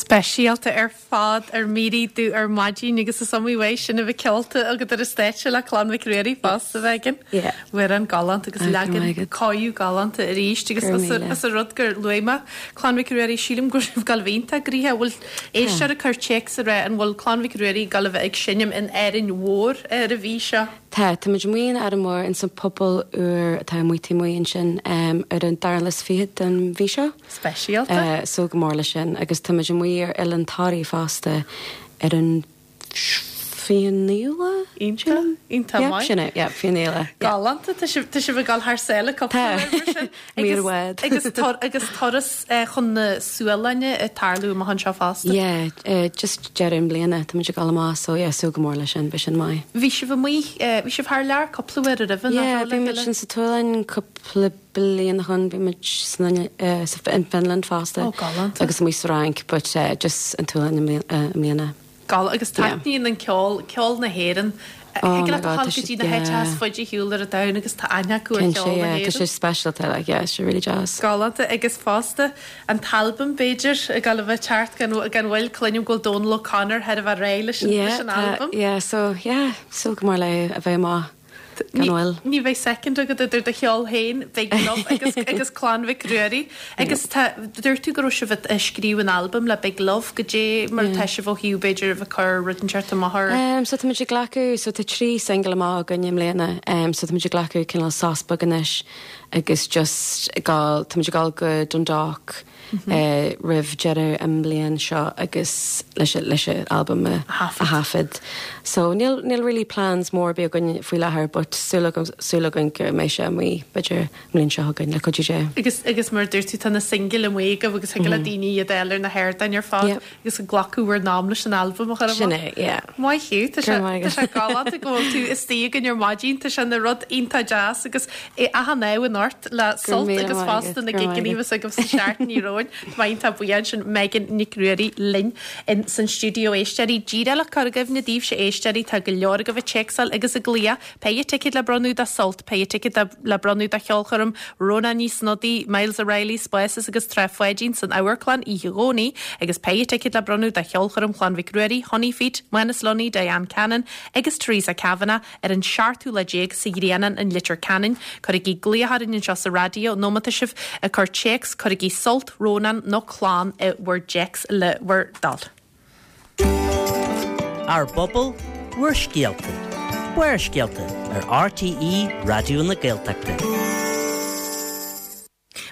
Speisialta ar fad ar m'éirí dubh ar maidin agus is iomaí uair sin a bheith ceolta agat ar an stáitse le Clann Mhic Ruairí fosta Megan. Yeah. Amhrán galánta agus Ah, go leagan maith agat. cáú galánta arís agus Go raibh míle. as a rud gur luaigh mé Clann Mhic Ruairí sílim go raibh gal bhínta grithe bhfuil éisteoir ag cur téacs a rá an bhfuil Clann Mhic Ruairí ag gabháil a bheith ag seinm in Árainn Mhór ar an mhí seo. Tá tá muid amuigh in Árainn Mhór in san puball úr atá amuigh taobh amuigh ansin um, ar an dara lá is fiche den mhí seo. Speisialta. Uh, súil go mór leis sin agus tá muid amuigh ar Oileán Thoraí fosta ar an fiche naoú lá? Iontach, iontach Yeah, maith. sin é, yeah, fiche naoú lá. Galánta tá sibh tá sibh ag gabháil thar sáile Tá. cúpla Mír bhfad. agus tor agus turas eh, chun na Sualainne ag tarlú amach anseo fosta. Yeah, uh, just deireadh na bliana tá muid ag gabháil amach so yeah, súil go mór leis sin, beidh sin maith. Bhí sibh amuigh eh, bhí sibh thar lear cúpla uair roimhe Yeah, bhí muid sin sa tSualainn cúpla bliain ó shin, bhí muid san, uh, sa in Finland fosta. Ó, galánta. Agus amuigh sa Fhrainc, but uh, just an tSualainn i mbliana- uh, i mbliana. Gal agus taitníonn an ceol ceol na hÉireann. Oh Ag my le God, tá go sé- dtí na háite yeah. is faide ar shiúl ar an domhan agus tá aithne acu ar Cinnte, cheol na yeah, tá sé hÉireann. speisialta, like, yeah, it's really deas. Galánta agus fosta an t-albam b'fhéidir ag gabháil a bheith ag teacht gan gan mhoill cluinim go bhfuil Dónal O'Connor thar a bheith réidh leis an Yeah, leis an tá- albam. yeah, so yeah, súil go mór le a bheith amach gan Ní mhoill. ní bheidh second agat idir do cheol féin Big Love agus agus Clann Mhic Ruairí agus tá dúirt tú go raibh sibh ag scríobh an albam le Big Love goidé mar tá sibh ó thaobh b'fhéidir a bheith cur rud inteacht amach ar Um, so tá muid ag glacadh so tá trí single amach againn i mbliana um, so tá muid ag glacadh cineál sos beag anois agus just ag gabháil tá muid ag gabháil go Dundalk mm -hmm. uh, roimh deireadh an bliain seo agus leis leis an album a thaifead. a thaifead. So níl níl really plans mór bí againn faoi láthair, but súil agam súil againn go mbeidh sé amuigh b'fhéidir mbliain seo chugainn le cuidiú Dé. Agus agus mar dúirt tú tá na single amuigh agaibh agus thig le daoine iad a fháil ar na hardáin ar fad Yep. agus ag glacadh bhur n-am leis an albam a chur Sin amach. é, yeah. Maith thú tá Go sé maith tá sé galánta go bhfuil tú istigh againn ar maidin tá sé ina rud iontach deas agus é achan ádh in ort le sult míle agus maith fosta agat, na go raibh maith gigeanna agat. agus sa seachtain romhainn Tá iontach buíoch sin Megan Nic Ruairí linn in san stiúideo éisteoirí díreach cur i gcuimhne daoibhse éisteoirí tá go leor agaibh ag téacsáil agus ag glaoch péire ticéad le bronnadh do Sult péire ticéad le bronnadh do cheolchoirm Rónán Ní Snodaigh Miles O'Reilly Spices agus Trá Pháidín san Amharclann Oíche Dhomhnaigh agus péire ticéad le bronnadh do cheolchoirm Chlann Mhic Ruairí Honey Feet Manus Lunny Diane Cannon agus Theresa Kavanagh ar an seachtú lá déag sa Ghrianán in Leitir Ceanainn cuirigí glaoch orainn anseo sa raidió nó má tá sibh ag cur téacs cuirigí Sult Rónán nó Clann i bhur dtéacs le bhur dtoil. Ár bpobal, bhur scéalta. Barrscéalta ar RTÉ Raidió na Gaeltachta.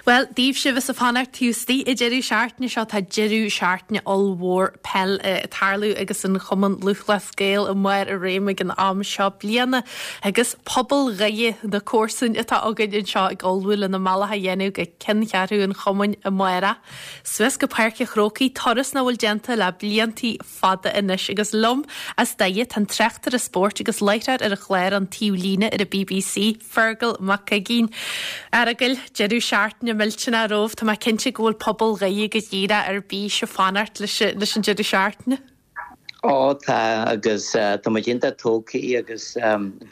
Bhuel, daoibh sibh is ag fanacht taobh istigh ag deireadh seachtaine seo tá deireadh seachtaine ollmhór peil ag tarlú agus an Chumann Lúthchleas Gael i mbarr a réim ag an am seo bliana agus pobal Dhoire na comharsain atá againn anseo ag ullmhú lena mbealach a dhéanamh go ceanncheathrú an chumainn amárach. Suas go Páirc an Chrócaigh, turas nach bhfuil déanta le bliantaí fada anois agus liom as Doire tá an tráchtaire spóirt agus láithreoir ar an chlár An Taobh Líne ar an BBC, Fergal Mac Uiginn. A Fheargail, deireadh seachtaine millteanach romhaibh, tá mé cinnte go bhfuil pobal Dhoire go díreach ar bís ag fanacht leis leis an deireadh seachtaine. Ó tá agus tá muid iontach tógtha agus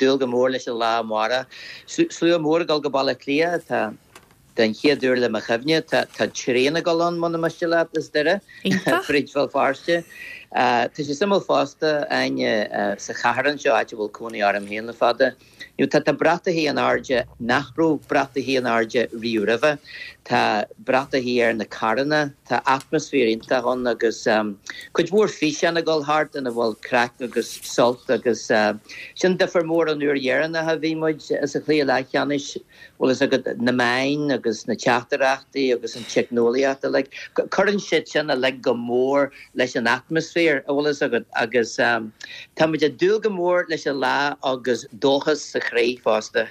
dúil go mór leis an lá amárach. Slua mór ag dul go Baile Átha Cliath tá den chéad uair le mo chuimhne tá tá traein ag dul ann muna miste leat as Doire fríd Bhéal Feirste. Tá sé suimiúil fosta Áine sa chathair anseo áit a bhfuil cónaí orm féin le fada. You tá tá bratacha in airde nach raibh bratacha in airde riamh roimhe. Tá bratacha ar na carranna, tá atmaisféar iontach ann agus um, cuid mhór físeán ag dul thart ina bhfuil craic agus sult agus uh, sin difear mór an uair dheireanach a bhí muid sa chluiche leathcheannais bhfuil fhios agat na meáin agus na teachtaireachtaí agus an teicneolaíocht like cuireann siad sin uilig go mór leis an atmaisféar a bhfuil fhios agat agus um, tá muid ag dúil go mór leis an lá agus dóchas sa chroí fosta.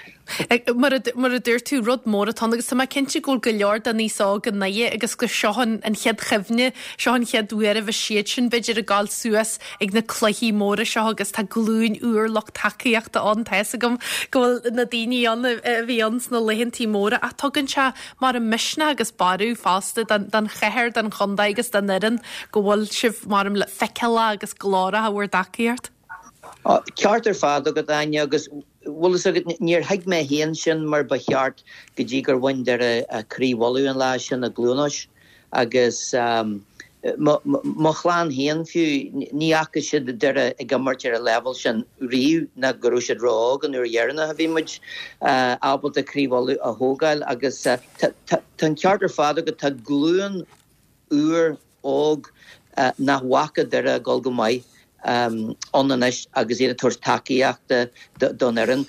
Mar a dúirt tú rud mór atá agus tá mé cinnte go bhfuil go leor den aos óg i nDoire agus go seo an an chéad chuimhne seo an chéad uair a bhí siad sin b'fhéidir ag gabháil suas ag na cluichí móra seo agus tá glúin úr lucht tacaíochta ann tá fhios agam go bhfuil na daoine ann a bhí ann sna laethantaí móra ach tugann sé mar an misneach agus borradh fosta don don chathair don chontae agus don fhoireann go bhfuil sibh mar le feiceáil agus glórach bhur dtacaíocht. Ceart ar fad agat Áine agus bhfuil fhios agat níor thuig mé féin sin mar ba cheart go dtí gur bhain Doire Craobh Uladh an lá sin i gCluain Eois agus um, mo chlann féin fiú ní fhaca siad Doire ag imirt ar an leibhéal sin riamh ná go raibh siad ró-óg an uair dheireanach a bhí muid uh, ábalta Craobh Uladh a thógáil agus uh, tá an ceart ar fad agat tá glúin úr óg uh, nach bhfaca Doire dul go maith um, ann anois agus iad ag tabhairt tacaíochta don fhoireann.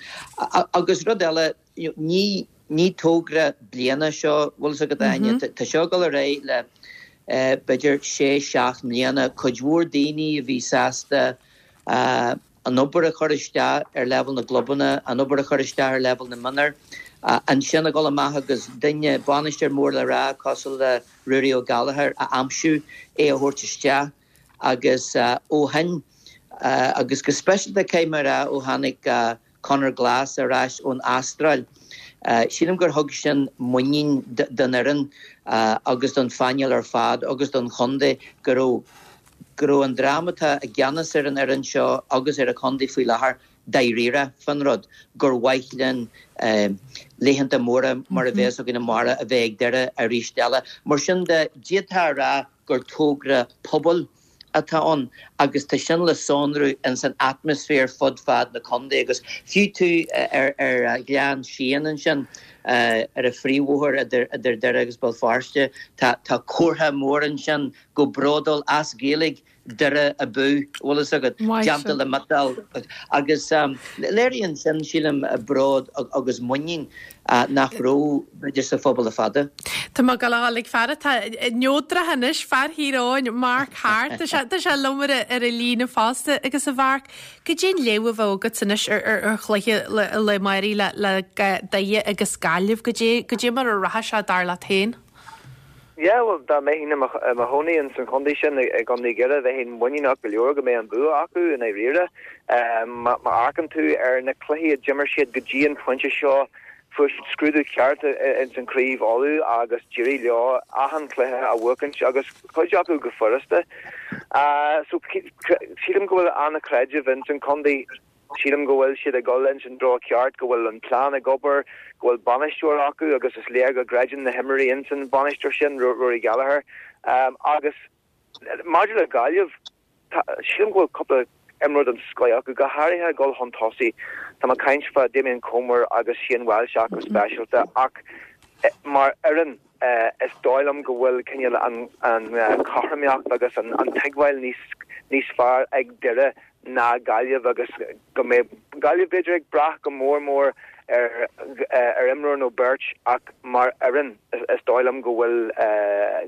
Agus rud eile ní ní togra bliana seo bhfuil fhios agat Áine tá seo go réidh le uh, b'fhéidir sé seacht mbliana cuid mhór daoine a bhí sásta uh, an obair a chur isteach ar leibhéal na gclubanna, an obair a chur isteach ar leibhéal na mionúr. Uh, ansin a dhul amach agus duine bainisteoir mór le rá cosúil le Ruairí O'Gallagher a aimsiú é a thabhairt isteach agus uh, ó shin uh, agus go speisialta cé mar a ó tháinig uh, Conor Glass ar ais ón Astráil. Uh, Sílim gur thug sin muinín don fhoireann uh, agus don phainéal ar fad agus don chontae go raibh go raibh an dream atá i gceannas ar an fhoireann seo agus ar an chontae faoi láthair dáiríre faoin rud gur mhaith linn uh, laethanta móra mar a bheas againn amárach a bheith ag Doire arís eile. Mar sin de d'fhéadfá a rá gur togra pobail atá ann agus tá sin le sonrú in san atmaisféar fud fad na contae agus fiú tú ar ar Ghleann Síon ansin uh, ar an phríomhbhóthar idir idir Doire agus Béal Feirste tá tá comhartha mór ansin go bródúil as Gaeilge Doire abú bhfuil fhios agat déanta le miotal agus um, léiríonn sin sílim bród agus muinín uh, nach raibh b'fhéidir sa phobal le fada. Tá má go ag fear tá neodrach anois fear Thír Eoghain Mark Hart Tá sé tá sé liom ar ar an líne fosta agus a Mharc goidé an léamh a bheadh agat anois ar ar ar chluiche le le Mairí le le Doire agus Gaillimh goidé goidé mar a rachaidh sé dar leat féin. Ja, well dá mbeinn i mo chónaí in san chontae sin i gContae Dhoire bheinn muiníneach go leor go mbeidh an bua acu i ndáiríre. Má amharcann tú ar na cluichí a d'imir siad go dtí an pointe seo fuair scrúdú ceart in san Craobh Uladh agus d'éirigh leo achan cluiche a bhuachaint agus cuid acu go furasta. Uh, so sílim go bhfuil an-chreideamh in san chontae sílim go bhfuil siad ag dul in san treo ceart go bhfuil an plean ag obair go bhfuil bainisteoir acu agus is léir go gcreideann na himreoirí in san bainisteoir sin Rory Gallagher um, agus maidir le Gaillimh sílim go bhfuil cúpla imreoir den scoth acu go háirithe dul chun tosaigh Tá mé ag caint fá Damien Comer agus Shane Walsh go speisialta ach mar fhoireann uh, is dóigh liom go bhfuil cineál an an uh, cothromaíocht agus an, an tuigbheáil níos níos fearr ag Doire ná Gaillimh agus go mbeidh Gaillimh b'fhéidir ag brath go mór mór ar ar imreoir nó beirt ach mar fhoireann is dóigh liom go bhfuil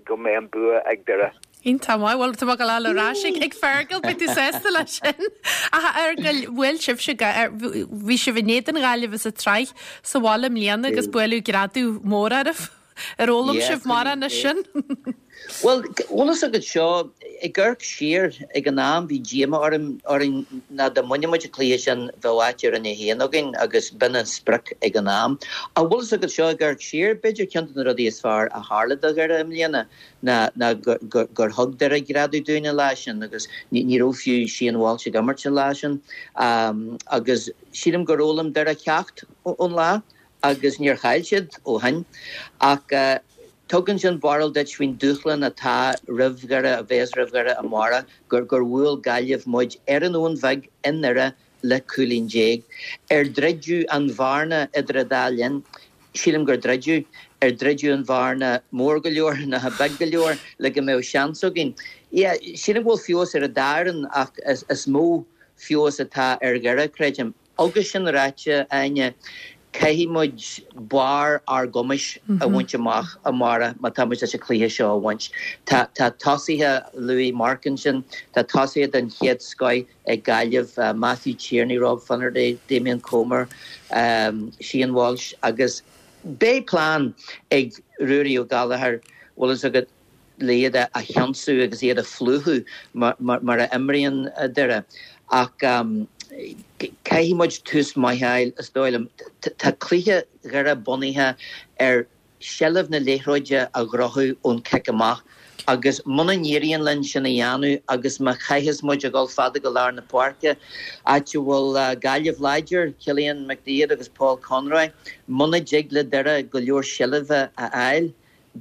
go mbeidh an bua ag Doire. Iontach maith, bhuel tá mé ag gabháil ar ais ag Fergal, beidh tú sásta leis sin. Ach a Fheargail, bhuail sibhse, bhí sibh in éadan Ghaillimh sa tsraith sa bhaile i mbliana agus buaileadh greadadh mór oraibh. Ar fhoghlaim sibh mórán as sin? Bhuel, bhfuil fhios agat seo, ag amharc siar ag an am bhí díoma orm orainn ná dá mbaineadh muid an cluiche sin bheadh áit i Roinn a haon againn agus b'in an sprioc ag an am. Ach bhfuil fhios agat seo, ag amharc siar, b'fhéidir ceann de na rudaí is fearr a tharla do Dhoire i mbliana ná ná gur gur thug Doire greadadh dúinn an lá sin agus ní ní raibh fiú Shane Walsh ag imirt an lá sin agus sílim gur fhoghlaim Doire ceacht ón lá. agus níor chaill siad ó shin. Ach tugann sin barúil duit faoin dúshlán atá roimh Dhoire, a bheas roimh Dhoire amárach, gur gur bhuail Gaillimh muid ar an Abhainn Bheag i nDoire le cúilín déag. Ar druideadh an bhearna idir an dá linn? Sílim gur druideadh. Ar druideadh an bhearna mór go leor nó beag go leor le go mbeadh seans againn? Yeah, sílim go bhfuil feabhas ar an dá fhoireann ach is mó feabhas atá ar Dhoire, creidim. Agus sin ráite, Áine, caithfidh muid barr ár gcumais a bhaint amach amárach má tá muid leis an cluiche seo a bhaint. Tá tá tosaithe, luaigh Mark ansin, tá tosaithe den chéad scoith ag Gaillimh, Matthew Tierney, Rob Finnerty, Damien Comer, Shane Walsh agus beidh plean ag Ruairí Ó Gallchóir, bhfuil fhios agat, le iad a cheansú agus iad a phlúchadh mar a imríonn Doire. Ach caithfidh muid tús maith a fháil, is dóigh liom. Tá cluiche Dhoire bunaithe ar sheilbh na liathróide a ghnóthú ón cic amach agus muna n-éiríonn linn sin a dhéanamh agus má chaitheas muid a dhul fada go lár na páirce, áit a bhfuil Gaillimh láidir, Cillian McDaid agus Paul Conroy, muna dtig le Doire go leor seilbhe a fháil,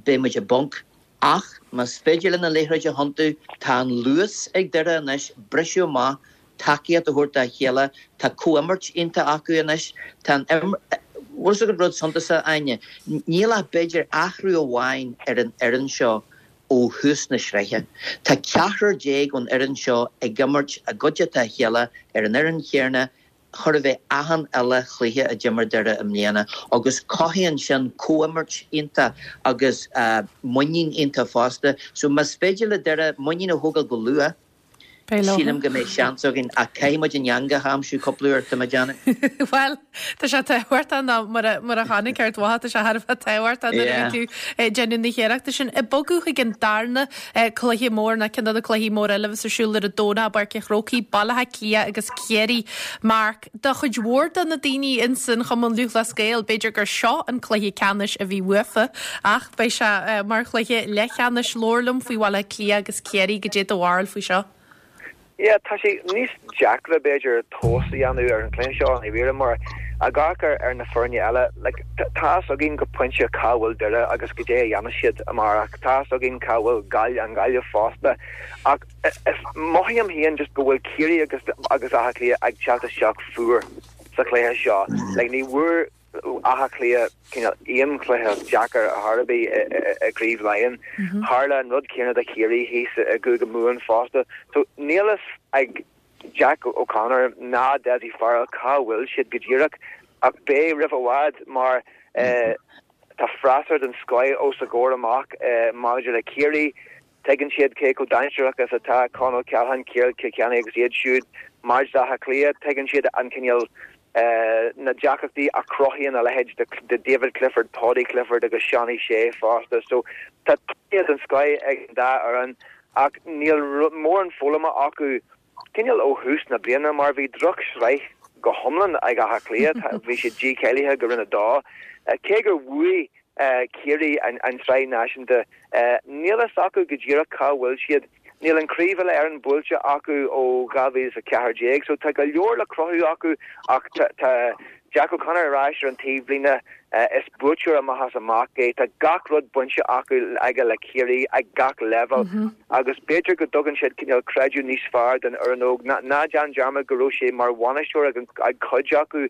beidh muid i bponc. Ach más féidir linn an liathróid a thiontú, tá an luas ag Doire anois briseadh amach, tacaíocht a thabhairt dá chéile, tá comhimirt iontach acu anois, tá an Bhfuil fhios agat rud suntasach, Áine? Níl ach b'fhéidir athrú amháin ar an fhoireann seo ó thús na sraithe. Tá ceathrar déag ón fhoireann seo ag imirt i gcuideachta a chéile ar an fhoireann chéanna chóir a bheith achan uile chluiche a d'imir Doire i mbliana agus cothaíonn sin comhimirt iontach agus muinín iontach fosta. So más féidir le Doire muinín a thógáil go luath, sílim go mbeidh seans againn ach caithfidh muid an eangach a aimsiú cúpla uair, tá mé ag déanamh. Bhuel, tá sé tábhachtach ná mar mar a chonaic Ard Mhacha, tá sé thar a bheith tábhachtach nuair a bhí tú ag déanamh na hiarrachta sin. Ag bogadh chuig an darna cluiche mór ná ceann de na cluichí móra eile a bheas ar siúl ar an Domhnach i bPáirc an Chrócaigh, Baile Átha Cliath agus Ciarraí. Mark, do chuid mhór de na daoine ins an Chumann Lúthchleas Gael, b'fhéidir gur seo an cluiche ceannais a bhí uafa, ach beidh sé mar chluiche leathcheannais. Labhair liom faoi Bhaile Átha Cliath agus Ciarraí, goidé do bharúil faoi seo. Yeah, tá sé níos deacra b'fhéidir tomhas a dhéanamh ar an chluiche seo i ndáiríre mar ag amharc ar ar na foirne eile, like, tá fhios againn go pointe cá bhfuil Doire agus goidé a dhéanfaidh siad amárach, tá fhios againn cá bhfuil Gaillimh, an Ghaillimh fosta ach is mothaím féin just go bhfuil Ciarraí agus agus Áth Cliath ag teacht isteach fuar sa chluiche seo. Like, ní bhfuair Áth Cliath cineál aon chluiche deacair ar chor ar bith i gCraobh Laighean. Tharla an rud céanna do Chiarraí thíos i gCúige Mumhan fosta. So níl fhios ag Jack O'Connor ná Dessie Farrell cá bhfuil siad go díreach ach beidh roimh i bhfad mar tá freasúra den scoith os a gcomhair amach maidir le Ciarraí. Tuigeann siad cé chomh dainséarach is atá Con O'Callaghan, Kieran Kilkenny agus iad siúd maidir le Áth Cliath. Tuigeann siad an cineál, na deacrachtaí a chruthaíonn a leithéid de David Clifford, Paudie Clifford agus Seánie Shea fosta. So tá tosaithe den scoith ag an dá fhoireann ach níl mórán foghlamtha acu cineál ó thús na bliana mar bhí drochshraith go hiomlán ag Áth Cliath. Bhí siad dícháilithe go Roinn a Dó. Cé gur bhuaigh Ciarraí an tSraith Náisiúnta, níl fhios acu go díreach cá bhfuil siad. Níl an Craobh Uile-Éireann buailte acu ó dhá mhíle is a ceathair déag so tá go leor le cruthú acu ach tá Jack O'Connor ar ais ar an taobhlíne. Is buaiteoir amach is amach é. Tá gach rud bainte acu aige le Ciarraí ag gach leibhéal agus b'fhéidir go dtugann siad cineál creideamh níos fearr don fhoireann óg. Ná déan dearmad go raibh sé mar bhainisteoir ag cuid acu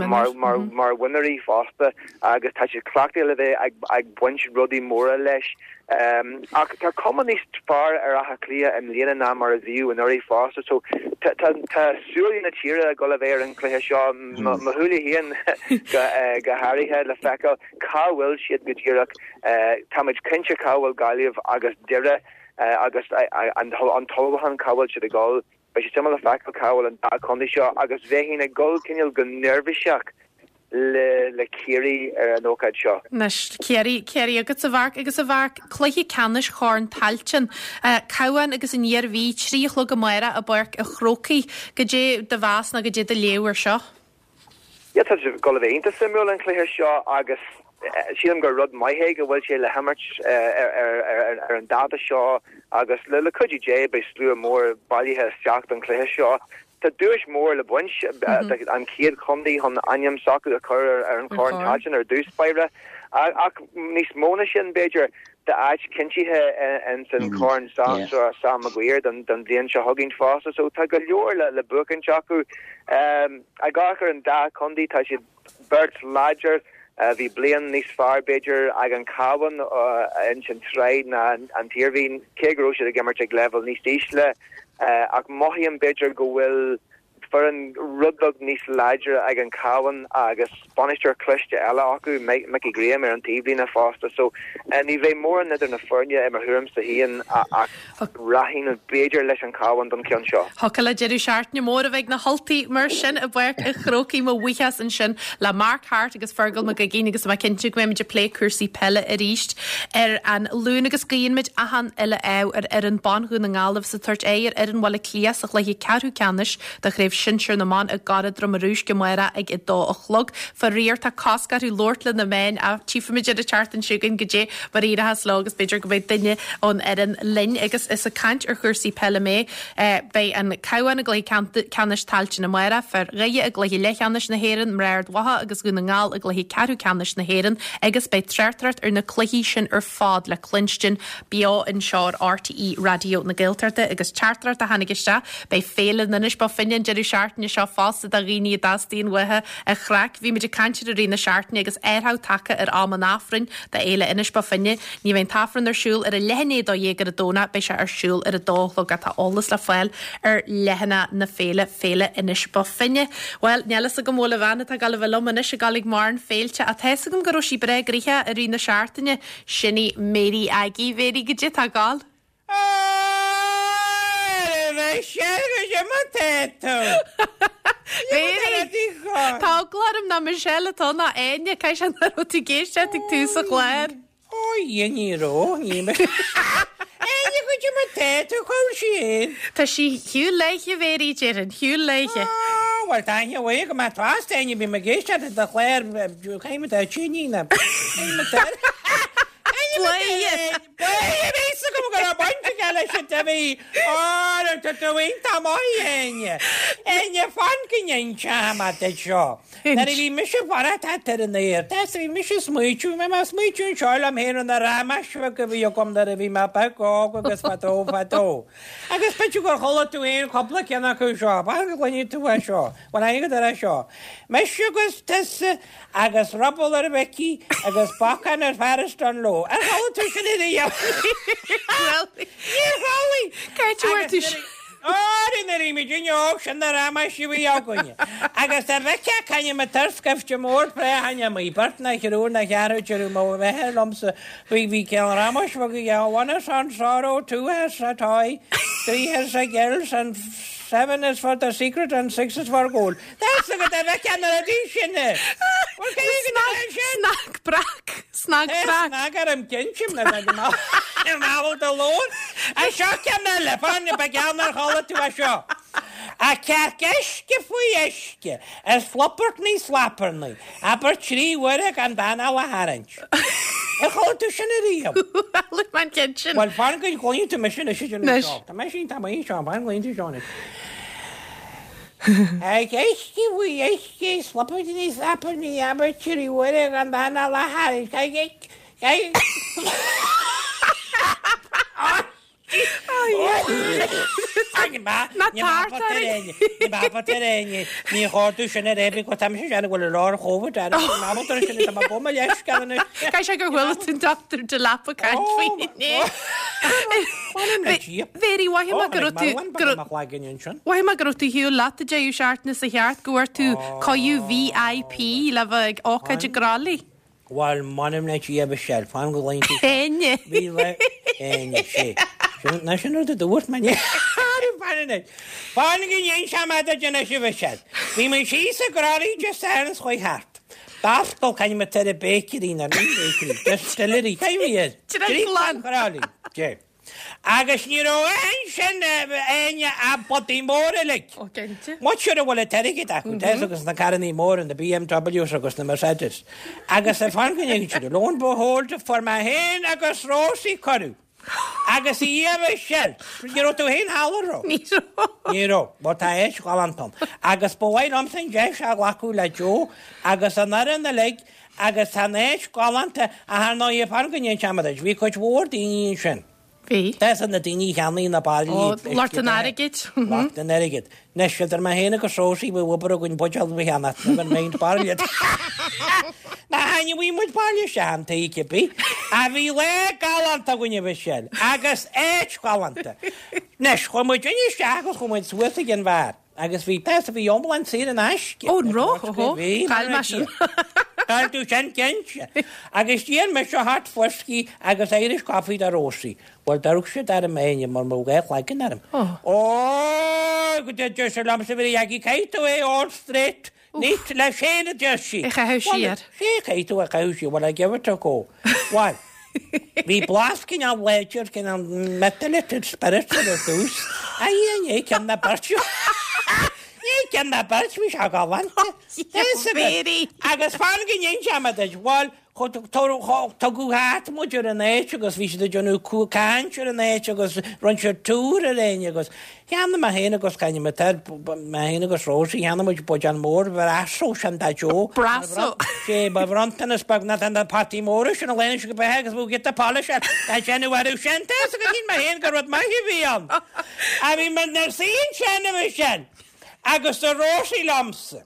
mar mar mhionúirí fosta agus tá siad cleachtaithe le bheith ag baint rudaí móra leis. Ach tá cuma níos fearr ar Áth Cliath i mbliana ná mar a bhíodh anuraidh fosta so tá tá súile na tíre ag dul a bheith ar an chluiche seo, mo shúile féin go háirithe le feiceáil cá bhfuil siad go díreach. Táimid cinnte cá bhfuil Gaillimh agus Doire agus an t-ullmhúchán cá bhfuil siad ag dul. Beidh sé suimiúil le feiceáil cá bhfuil an dá chontae seo agus bheinn ag dul cineál go neirbhíseach le le Ciarraí ar an ócáid seo. Anois, Ciarraí, Ciarraí agat a Mharc agus a Mharc, cluiche ceannais Chorn Tailteann, Cabhán agus an Iarmhí, trí a chlog amárach i bPáirc an Chrócaigh. Goidé do mheas nó goidé do léamh ar seo? Yeah, tá sé ag dul a bheith iontach suimiúil an cluiche seo agus sílim gur rud maith é go bhfuil sé le himirt ar an dáta seo agus le le cuidiú Dé beidh slua mór bailithe isteach don chluiche seo. Tá duais mór le baint, an chéad chontae chun ainm s'acu a chur ar an Chorn Tailteann ar dtús báire. Ach níos mó ná sin, b'fhéidir, tá áit cinntithe ins an Chorn Sam Maguire don bhliain seo chugainn fosta. So tá go leor le buachaint acu. Ag amharc ar an dá chontae, tá siad beirt láidir. Bhí bliain níos fearr, b'fhéidir, ag an Cabhán ins an tsraith ná an tIarmhí, cé go raibh siad ag imirt ag leibhéal níos ísle. Ach mothaím b'fhéidir go bhfuil foireann rud beag níos láidre ag an Cabhán agus bainisteoir cliste eile acu, Mickey Graham, ar an taobhlíne fosta. So ní bheidh mórán idir na foirne i mo thuairimse féin ach rachainn b'fhéidir leis an Cabhán don cheann seo. Thiocfadh le deireadh seachtaine mór a bheith ag na hUltaigh mar sin i bPáirc an Chrócaigh. Mo bhuíochas ansin le Mark Harte agus Fergal Mac Uiginn agus tá mé cinnte go mbeimid ag plé cúrsaí peile arís ar an Luan agus guíonn muid achan uile ádh ar fhoireann ban Dhún na nGall agus ag tabhairt aghaidh ar fhoireann Bhaile Átha Cliath sa chluiche ceathrú ceannais de Chraobh Shinsir na mBan i gCora Droma Rúisc amárach ag a dó a chlog. Faraor, tá cosc orthu labhairt le na meáin ach tchífimid ar an tseachtain seo chugainn goidé mar a éireochas leo agus b'fhéidir go mbeidh duine ón fhoireann linn. Agus is ag caint ar chúrsaí peile mé, beidh an Cabhán i gcluiche ceannais Tailteann amárach, fir Dhoire i gcluiche leathcheannais na hÉireann, mná Ard Mhacha agus Dhún na nGall i gcluiche ceathrú ceannais na hÉireann agus beidh tráchtaireacht ar na cluichí sin ar fad le cluinstin beo anseo ar RTÉ Raidió na Gaeltachta agus teachtaireacht a tháinig isteach, beidh Féile in Inis Bó Finne an deireadh seachtaine seo fosta do dhaoine a dteastaíonn uathu an chraic. Bhí muid ag caint air i rith na seachtaine agus athrú tagtha ar am an Aifrinn do Fhéile Inis Bó Finne. Ní bheidh an tAifreann ar siúl ar a leath i ndiaidh a dó dhéag ar an Domhnach, beidh sé ar siúl ar a dó a chlog ach tá eolas le fáil ar leathanach na féile, Féile Inis Bó Finne. Bhuel, níl fhios agam bhfuil an bhean atá ag gabháil a bheith liom anois ag gabháil ag mórán féilte ach tá fhios agam go raibh sí breá gnoitheach i rith na seachtaine. Sin í Mary Aggie. Mary, goidé tá ag gabháil? Mary, Tá eagla orm nach Michelle atá ann ná Áine, caithfidh sé nach raibh tú ag éisteacht ag tús an chláir. Ó, a Dhia, ní raibh, ní raibh. Áine, goidé mar tá tú, cá bhfuil sí fhéin? Tá sí shiúl léithe, Mary, déarfainn, shiúl léithe. Á, bhuel, tá aithne mhaith agam, má tá fast, Áine, bím ag éisteacht le do chlár, caithfidh mé tá tíní na. Caithfidh mé tá. Bladhaire! Bladhaire! Bhí fhios agam go raibh baint aige leis an T V! Ó, tá tú iontach maith, Áine! Áine, fan go n-inseoidh mé duit seo. Nuair a bhí mise ag fanacht ar an aer, tá bhí mise ag smaoitiú, bhí mé ag smaoitiú anseo liom féin ar na ramáis bheaga a bhí agam nuair a bhí mé beag óg agus fadó fadó. Agus b'fhéidir gur chuala tú féin cúpla ceann acu seo, fan go gcluinfidh tú é seo, bhuel aithne agat ar é seo. Mise agus tusa agus ruball ar Mhicí agus bacán ar Pháras Dungloe. Ar chuala tú sin ariamh? Níor chuala! Cá háit a bhfuair tú sin? Ó, nuair a bhí muidinne óg, sin na ramáis a bhí againne. Agus dá bhfeicfeá c'ainm an turscaifte mór pré-aithne amuigh, beirt ná thriúr ná cheathrú deir mo mháthair liomsa, bhí bhí ceann ramáis bheag aige, one is on sorrow, two has a toy, three has a girls and seven is for the secret and six is for gold. That's a good bhfeicfeá na rudaí sin. Bhuel, cé go dtí sin? Snag breac, snag breac. Snag orm cinnte, na bhfuil do lón. A seo ceann eile, fan, ba gheall nár chuala tú é seo. A cearc uisce faoi uisce, is flupartnaí slaparnaí, abair trí huaire gan d'anáil a tharraingt. Ar chuala tú sin ariamh? Chuala mé an ceann sin. Bhuel, fan go gcluinfidh tú mise anois a déanamh seo. Tá mise iontach maith anseo, fan go gcluinfidh tú seo anois. Cearc uisce faoi uisce, is flupartnaí slaparnaí, abair trí huaire gan d'anáil a tharraingt. Ní ábalta ar éinne. Ní chóir sin ar éirí go tam sin bhfuil lár chómh sin tá bó leis Caithfidh sé gur bhfuil tú Dr. de leapa caint faoi Mhéirí mhaith go raibh tú Mhaith mé go raibh tú shiúl leat a deireadh seachtaine sa cheart go bhfuair tú cuireadh VIP le bheith ag ócáid i gCroithlí. Bhuel m'anam le Dia Michelle, fan go léim tú. Éinne. Bhí le Éinne sé. Ná sin rud a dúirt mé ní. Fan go ndéan sé mé do déanamh sibh Michelle. Bhí mé síos i gCroithlí Dé Sathairn is chuaigh thart. D'oscail caithfidh mé tar a bakery na ní bakery, distillery, caithfidh mé air. Driochlann. Chroithlí. Dé. Agus ní raibh aon sin éinne a bpotaí móra uilig. Ó, cinnte. Muid a bhfuil an t-airgead acu, tá agus na carrannaí móra, na BMWs agus na Mercedes. Agus a fan go ndéanann siad, lo and behold, fuair mé féin agus Rosie cuireadh. Agus í a Michelle, ní raibh tú féin thall an raibh? Ní raibh. Ní raibh, mar tá éis galánta. Agus ba mhaith liomsa an deis a ghlacadh le Joe agus an fhoireann uilig agus tá an áit galánta a thar ndóigh fan go ndéanann sé muid. Bhí cuid mhór daoine ansin. Bhí. Tá na daoine a cheannaigh na bairillí. Ó, lucht an airgid. Lucht an airgid. Anois, idir mé féin agus Rosie, bhí obair againn buidéal a cheannach, never mind bairille. Na hainne, bhí muid bairille isteach an taobh cibé. A bhí lá galánta againn a Mhichelle, agus áit ghalánta. Anois, chuaigh muid isteach agus chuaigh muid suas ag an bheár. Agus bhí tá bhí iomlán saor in aisce. Ó, an raibh? Óhó, Bhí, chaill mé sin. Chaill tú sin cinnte. Agus d'iarr mise hot whiskey agus Irish coffee do Rosie. Bhuel, d'amharc siad orm éinne mar mo dhá chloigeann orm. Ó, go deir sé liomsa bhí agí caithfidh tú é all straight. Neat leis féin a deir sí. É chaitheamh siar. Sé caithfidh tú a chaitheamh siar, well I give it a go. Bhuel, bhí blas cineál láidir cineál methylated spirit ar dtús. A ní ceann na beirt. Ní ceann na beirt bhí sé galánta. Mhéirí. Agus fan go ndéan sé duit, bhuel, tugadh thart muid ar an áit agus bhí siad ag déanamh caint ar an áit agus rinne siad tour ar éinne agus cheannaigh mé féin agus caithfidh mé tar mé féin agus Rosie cheannaigh muid buidéal mór Brasso sin do Joe. Brasso. Sé ba bhronntanas beag na na potaí móra sin a léann go beithe agus bhú get the polish ar tá sin uair sin tá agus shíl mé féin gur rud maith a bhí ann. A bhí mé nar suí sin a bhí sin agus do Rosie liomsa.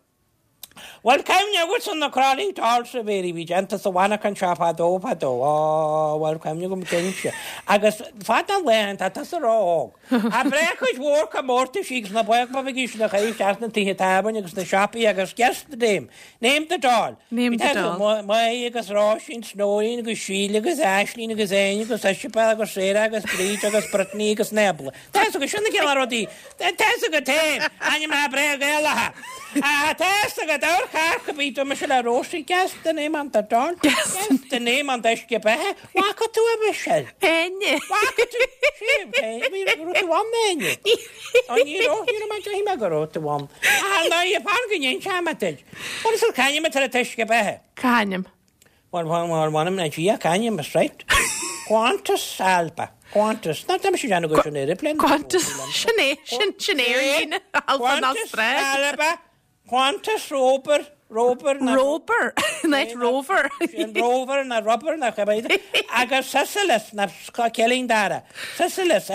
Well, cuimhne agat san na Crolly Dolls a bhí bhí déanta sa mhanarchan seo fadó fadó. Ó, well, cuimhne agam cinnte. Agus fada laethanta tá sa ró-óg. A brecuid mhór comórtais agus na baoch na chaois as na tithe tábhairne agus na siopaí agus guess the name. Name the doll. Name the doll. Maí agus Róisín, Snóín agus Síle agus Aislín agus Éin agus Isabel agus Sarah agus Bríd agus Brittany agus Nebla. Tá agus sin na céile rudaí. Tá agat féin. Ainm na breá Gaelacha. A tá agat ár chair bhí do me le Rosie guess the name on the doll. Guess the name on the uisce beatha. Bhfaca tú a Michelle? Éinne. Bhfaca tú? Sé, bhí raibh tú ann Éinne. Ó ní raibh, ní raibh mé deich mé go raibh tú ann. Ah, ná i fan go ndéan sé me duit. What is it c'ainm atá ar an t-uisce beatha? C'ainm? Well, well, well, m'anam le Dia c'ainm is right. Qantas Alba. Qantas. Ná tá sé anna go sin aeroplane. Qantas. Sin é, sin sin aerlíne. Alba Qantas Nostra. Alba. Qantas Rober. Rober. na- Rober. Night Rover. Sin Rover na Rubber na cibé. Agus Sicilis na Cillín Dara. Sicilis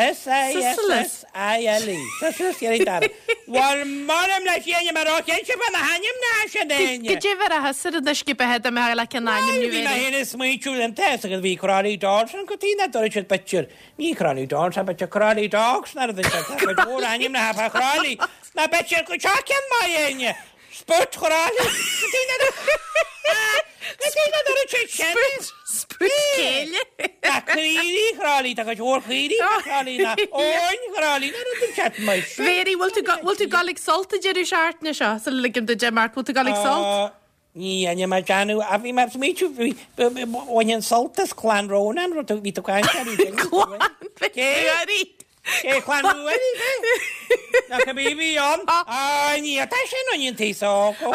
S-I-S-S-I-L-E. Sicilis Cillín Dara. Well, m'anam le Dia mar ó cén sibh na hainm na sin éinne. Go dtíh a hasar an uisce beatha do mé le an ainm Bhí mé féin ag smaointiú an test agus bhí Crolly Dogs an go tí na dúirt siad b'fhéidir. Ní Crolly Dogs, a b'fhéidir Crolly Dogs na rud sin. Tá cuid mhór ainm na ha Crolly. Na b'fhéidir go seo cén maith éinne. Spurt Crolly. Go tí na Go tí na dúirt siad sin. Spurt céile. Na caoirigh Crolly, tá cuid mhór caoirigh Crolly na óin Crolly na rud sin maith. Mhéirí, bhfuil tú bhfuil tú ag dul ag Sult a deireadh seachtaine seo sa ligim do Mark, bhfuil tú ag dul ag Sult? Ní aine mar deanú a bhí mar smaointiú bhain an Sult as Clann Rónáin rud bhí tú caint ar í. Clann Ruairí. Cé Clann Ruairí Na go bí bhí an á ní tá sin an tí sá go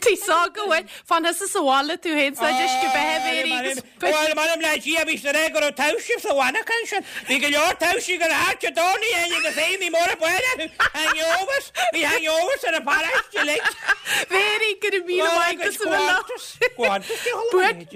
Tí sá go bhfuil fan thusa sa bhaile tú féin sa uisce beatha Mhéirí agus Well, m'anam le Dia bhí sé go raibh taibhsí sa mhanarchan sin. Bhí go leor taibhsí go háte dónaí aine agus éimí mór buile hangovers, bhí hangovers ar an pharáiste uilig. Mary go raibh míle maith agat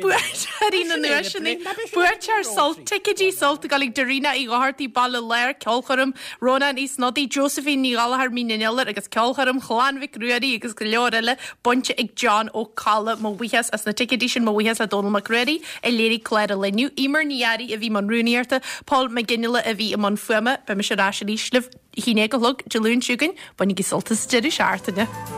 Buaiteoirí na nduaiseanna Buaiteoir Sult ticéidí Sult ag dul ag Darina Uí Dhochartaigh Baile Láir Ceolchoirm Rónán Uí Snodaigh Josephine Ní Ghallchóir Mín an Iolair agus Ceolchoirm Chlann Mhic Ruairí agus go leor eile bainte ag John Ó Colla mo bhuíochas as na ticéidí sin mo bhuíochas le Dónal Mac Ruairí a léirigh clár an lae inniu. Emer Ní Fhearraigh a bhí i mbun rúnaíochta, Paul Mac Fhionnghaile a bhí i mbun fuaime, beidh mise ar ais arís libh a haon déag a chlog Dé Luain seo chugainn, bainigí sult as deireadh seachtaine.